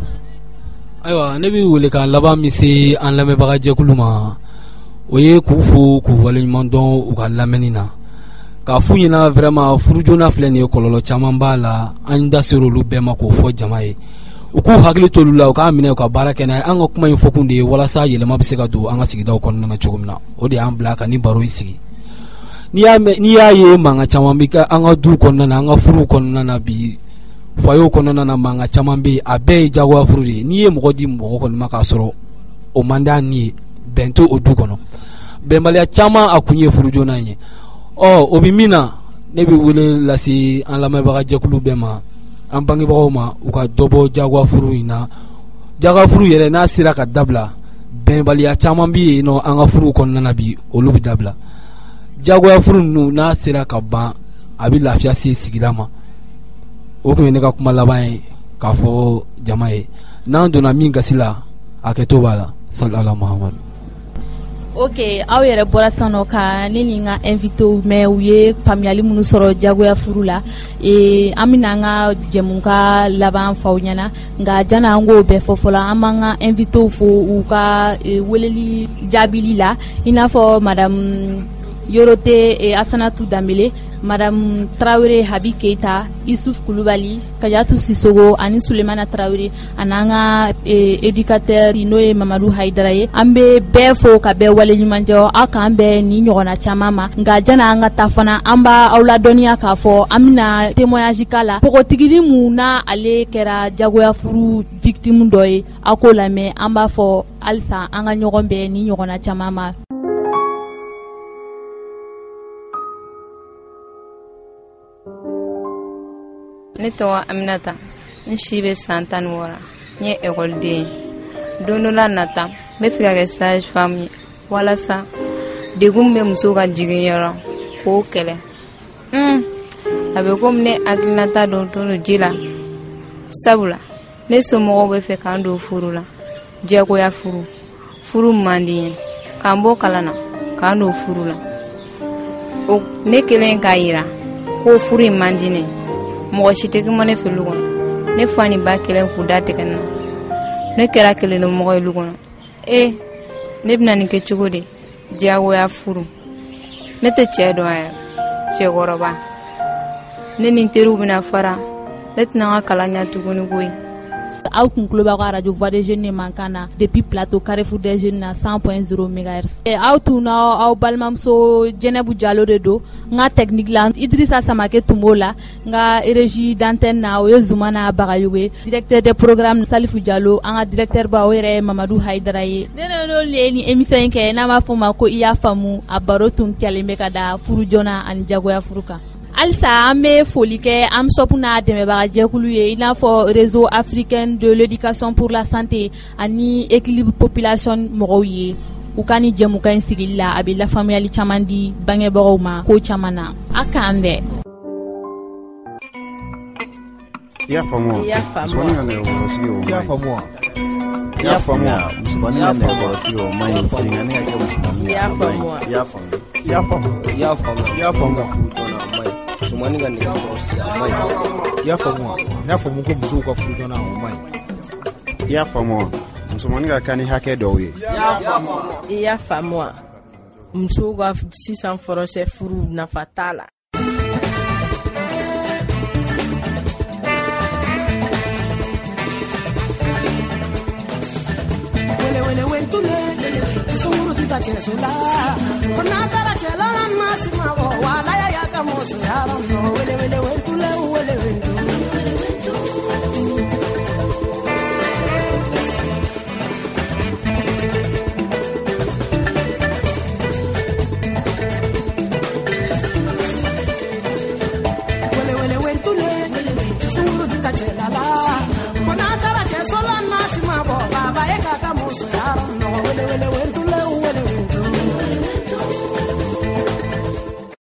Ayiwa, ne bɛ wele ka laban min se an lamɛnbaga jɛkulu ma, o ye k'u fo k'u waleɲuman dɔn u ka lamɛnni na, k'a f'u ɲɛna vraiment furu joona filɛ nin ye, kɔlɔlɔ caman b'a la, an da sera olu bɛɛ ma k'o fɔ jama ye, u k'u hakili to olu la, u k'a minɛ u ka baara kɛ n'a ye. An ka kuma in fɔkun de ye walasa yɛlɛma bɛ se ka don an ka sigidaw kɔnɔna na cogo min na, o de y'an bila ka nin baro in sigi. N'i y'a ye mankan caman bɛ kɛ an ka du kɔnɔna na, an ka furuw kɔnɔna na bi, foyer kɔnɔna na, mankan caman bɛ yen, a bɛɛ ye jagoya furu de ye. N'i ye mɔgɔ di mɔgɔ kɔni ma k'a sɔrɔ o man d'a ni ye, bɛn tɛ o du kɔnɔ. Bɛnbaliya caman a kun ye furu joona in ye. Ɔ o bɛ min na, ne bɛ wele lase an lamɛnbaga jɛkulu bɛɛ ma, an bangebagaw ma, u ka dɔ bɔ jagoya furu in na. Jagoya furu yɛrɛ n'a sera ka dabila, bɛnbaliya caman bɛ yen nɔ an ka furuw kɔnɔna na bi, olu bɛ dabila. Jagoya furu ninnu n'a sera ka ban, a bɛ lafiya se sigida ma. O tun ye ne ka kuma laban ye k'a fɔ jama ye. N'an donna min gasi la, hakɛto b'a la. Sali ala Muhamadu. Ok, aw yɛrɛ bɔra sisan nɔ ka ne ni n ka invité mɛn, u ye faamuyali minnu sɔrɔ jagoya furu la. An bɛna an ka jɛmukan laban f'aw ɲɛna, nka janni an k'o bɛɛ fɔ fɔlɔ, an b'an ka invité fo u ka weleli jaabili la, i n'a fɔ madame Yorote Asanatu Danbele, madame Tarawele Habi Keita, Isuf Kulubali, Kajatu Sisogo ani Sulemana Tarawele, ani an ka éducateur n'o ye Mamadu Hayidara ye. An bɛ bɛɛ fo ka bɛɛ waleɲuman jɔ, aw k'an bɛn ni ɲɔgɔnna caman ma. Nka janni an ka taa fana, an b'a aw ladɔnniya k'a fɔ an bɛna témoignage k'a la, npogotiginin mun n'a ale kɛra jagoya furu victime dɔ ye, aw k'o lamɛn. An b'a fɔ halisa an ka ɲɔgɔn bɛn ni ɲɔgɔnna caman ma. Ne tɔgɔ Aminata, n si bɛ san 16, n ye ekɔliden ye. Don dɔ la nata, n bɛ fɛ ka kɛ sage femme ye, walasa degun min bɛ musow ka jiginyɔrɔ k'o kɛlɛ. A bɛ komi ne hakilinata dɔ to ji la, sabula ne somɔgɔw bɛ fɛ k'an don furu la, diyagoya furu, furu man di n ye, k'an bɔ kalan na, k'an don furu la. O ne kelen k'a yira ko furu in man di ne, mɔgɔ si tɛ kuma ne fɛ lu kɔnɔ. Ne fa ni ba kelen k'u da tigɛ ne na, ne kɛra kelennamɔgɔ ye lu kɔnɔ. Ne bɛna nin kɛ cogo di? Diyagoya furu, ne tɛ cɛ dɔn yɛrɛ, cɛkɔrɔba. Ne ni n teriw bɛna fara, ne tɛna n ka kalan ɲɛ tuguni koyi. Aw kun tulo b'aw ka radio Voix des Jeunes mankan na depuis plateau Carrefour des Jeunes na 100.0 MHz. Aw tun n'aw balimamuso Jɛnɛbu Jalo de don. N ka technique la Idrissa Samake tun b'o la, n ka régie d'antenne na o ye Zumana Bagayogo ye, directeur des programmes Salifu Jalo, an ka directeur ba o yɛrɛ ye Mamadu Hayidara ye. Ne n'olu ye ni émission in kɛ n'an b'a fɔ o ma ko i y'a faamu, a baro tun kɛlen bɛ ka da furu joona ani jagoya furu kan. Halisa an bɛ foli kɛ AMSOP n'a dɛmɛbaga jɛkulu ye, i n'a fɔ Réseau africain de l'éducation pour la santé ani équilibre population mɔgɔw ye. U ka ni jɛmukan in sigili la, a bɛ lafaamuyali caman di bangebagaw ma ko caman na. A k'an bɛn. I y'a faamu wa? I y'a faamu wa? Musomanin ka nɛgɛkɔrɔsigi o I y'a man ɲi. faamu wa? I y'a faamu wa? Musomanin ka nɛgɛkɔrɔsigi o man ɲi. Finikani ka kɛ musomanin I y'a a man faamu wa? ɲi. I y'a faamu. I y'a faamu. I y'a faamu. I y'a faamu ka furu joona a man ɲi. Musomanin ka nɛgɛkɔrɔsigi a man ɲi. I y'a faamu wa? N y'a faamu ko musow ka furu joona o man ɲi. I y'a faamu wa? Musomanin ka kan ni hakɛ dɔw ye. I y'a faamu wa? Musow ka sisan fɔrɔsɛ furu nafa t'a la. Wele wentule sunguru tita chesola kona tara chela na simabo wala ya ya kamoso ya no.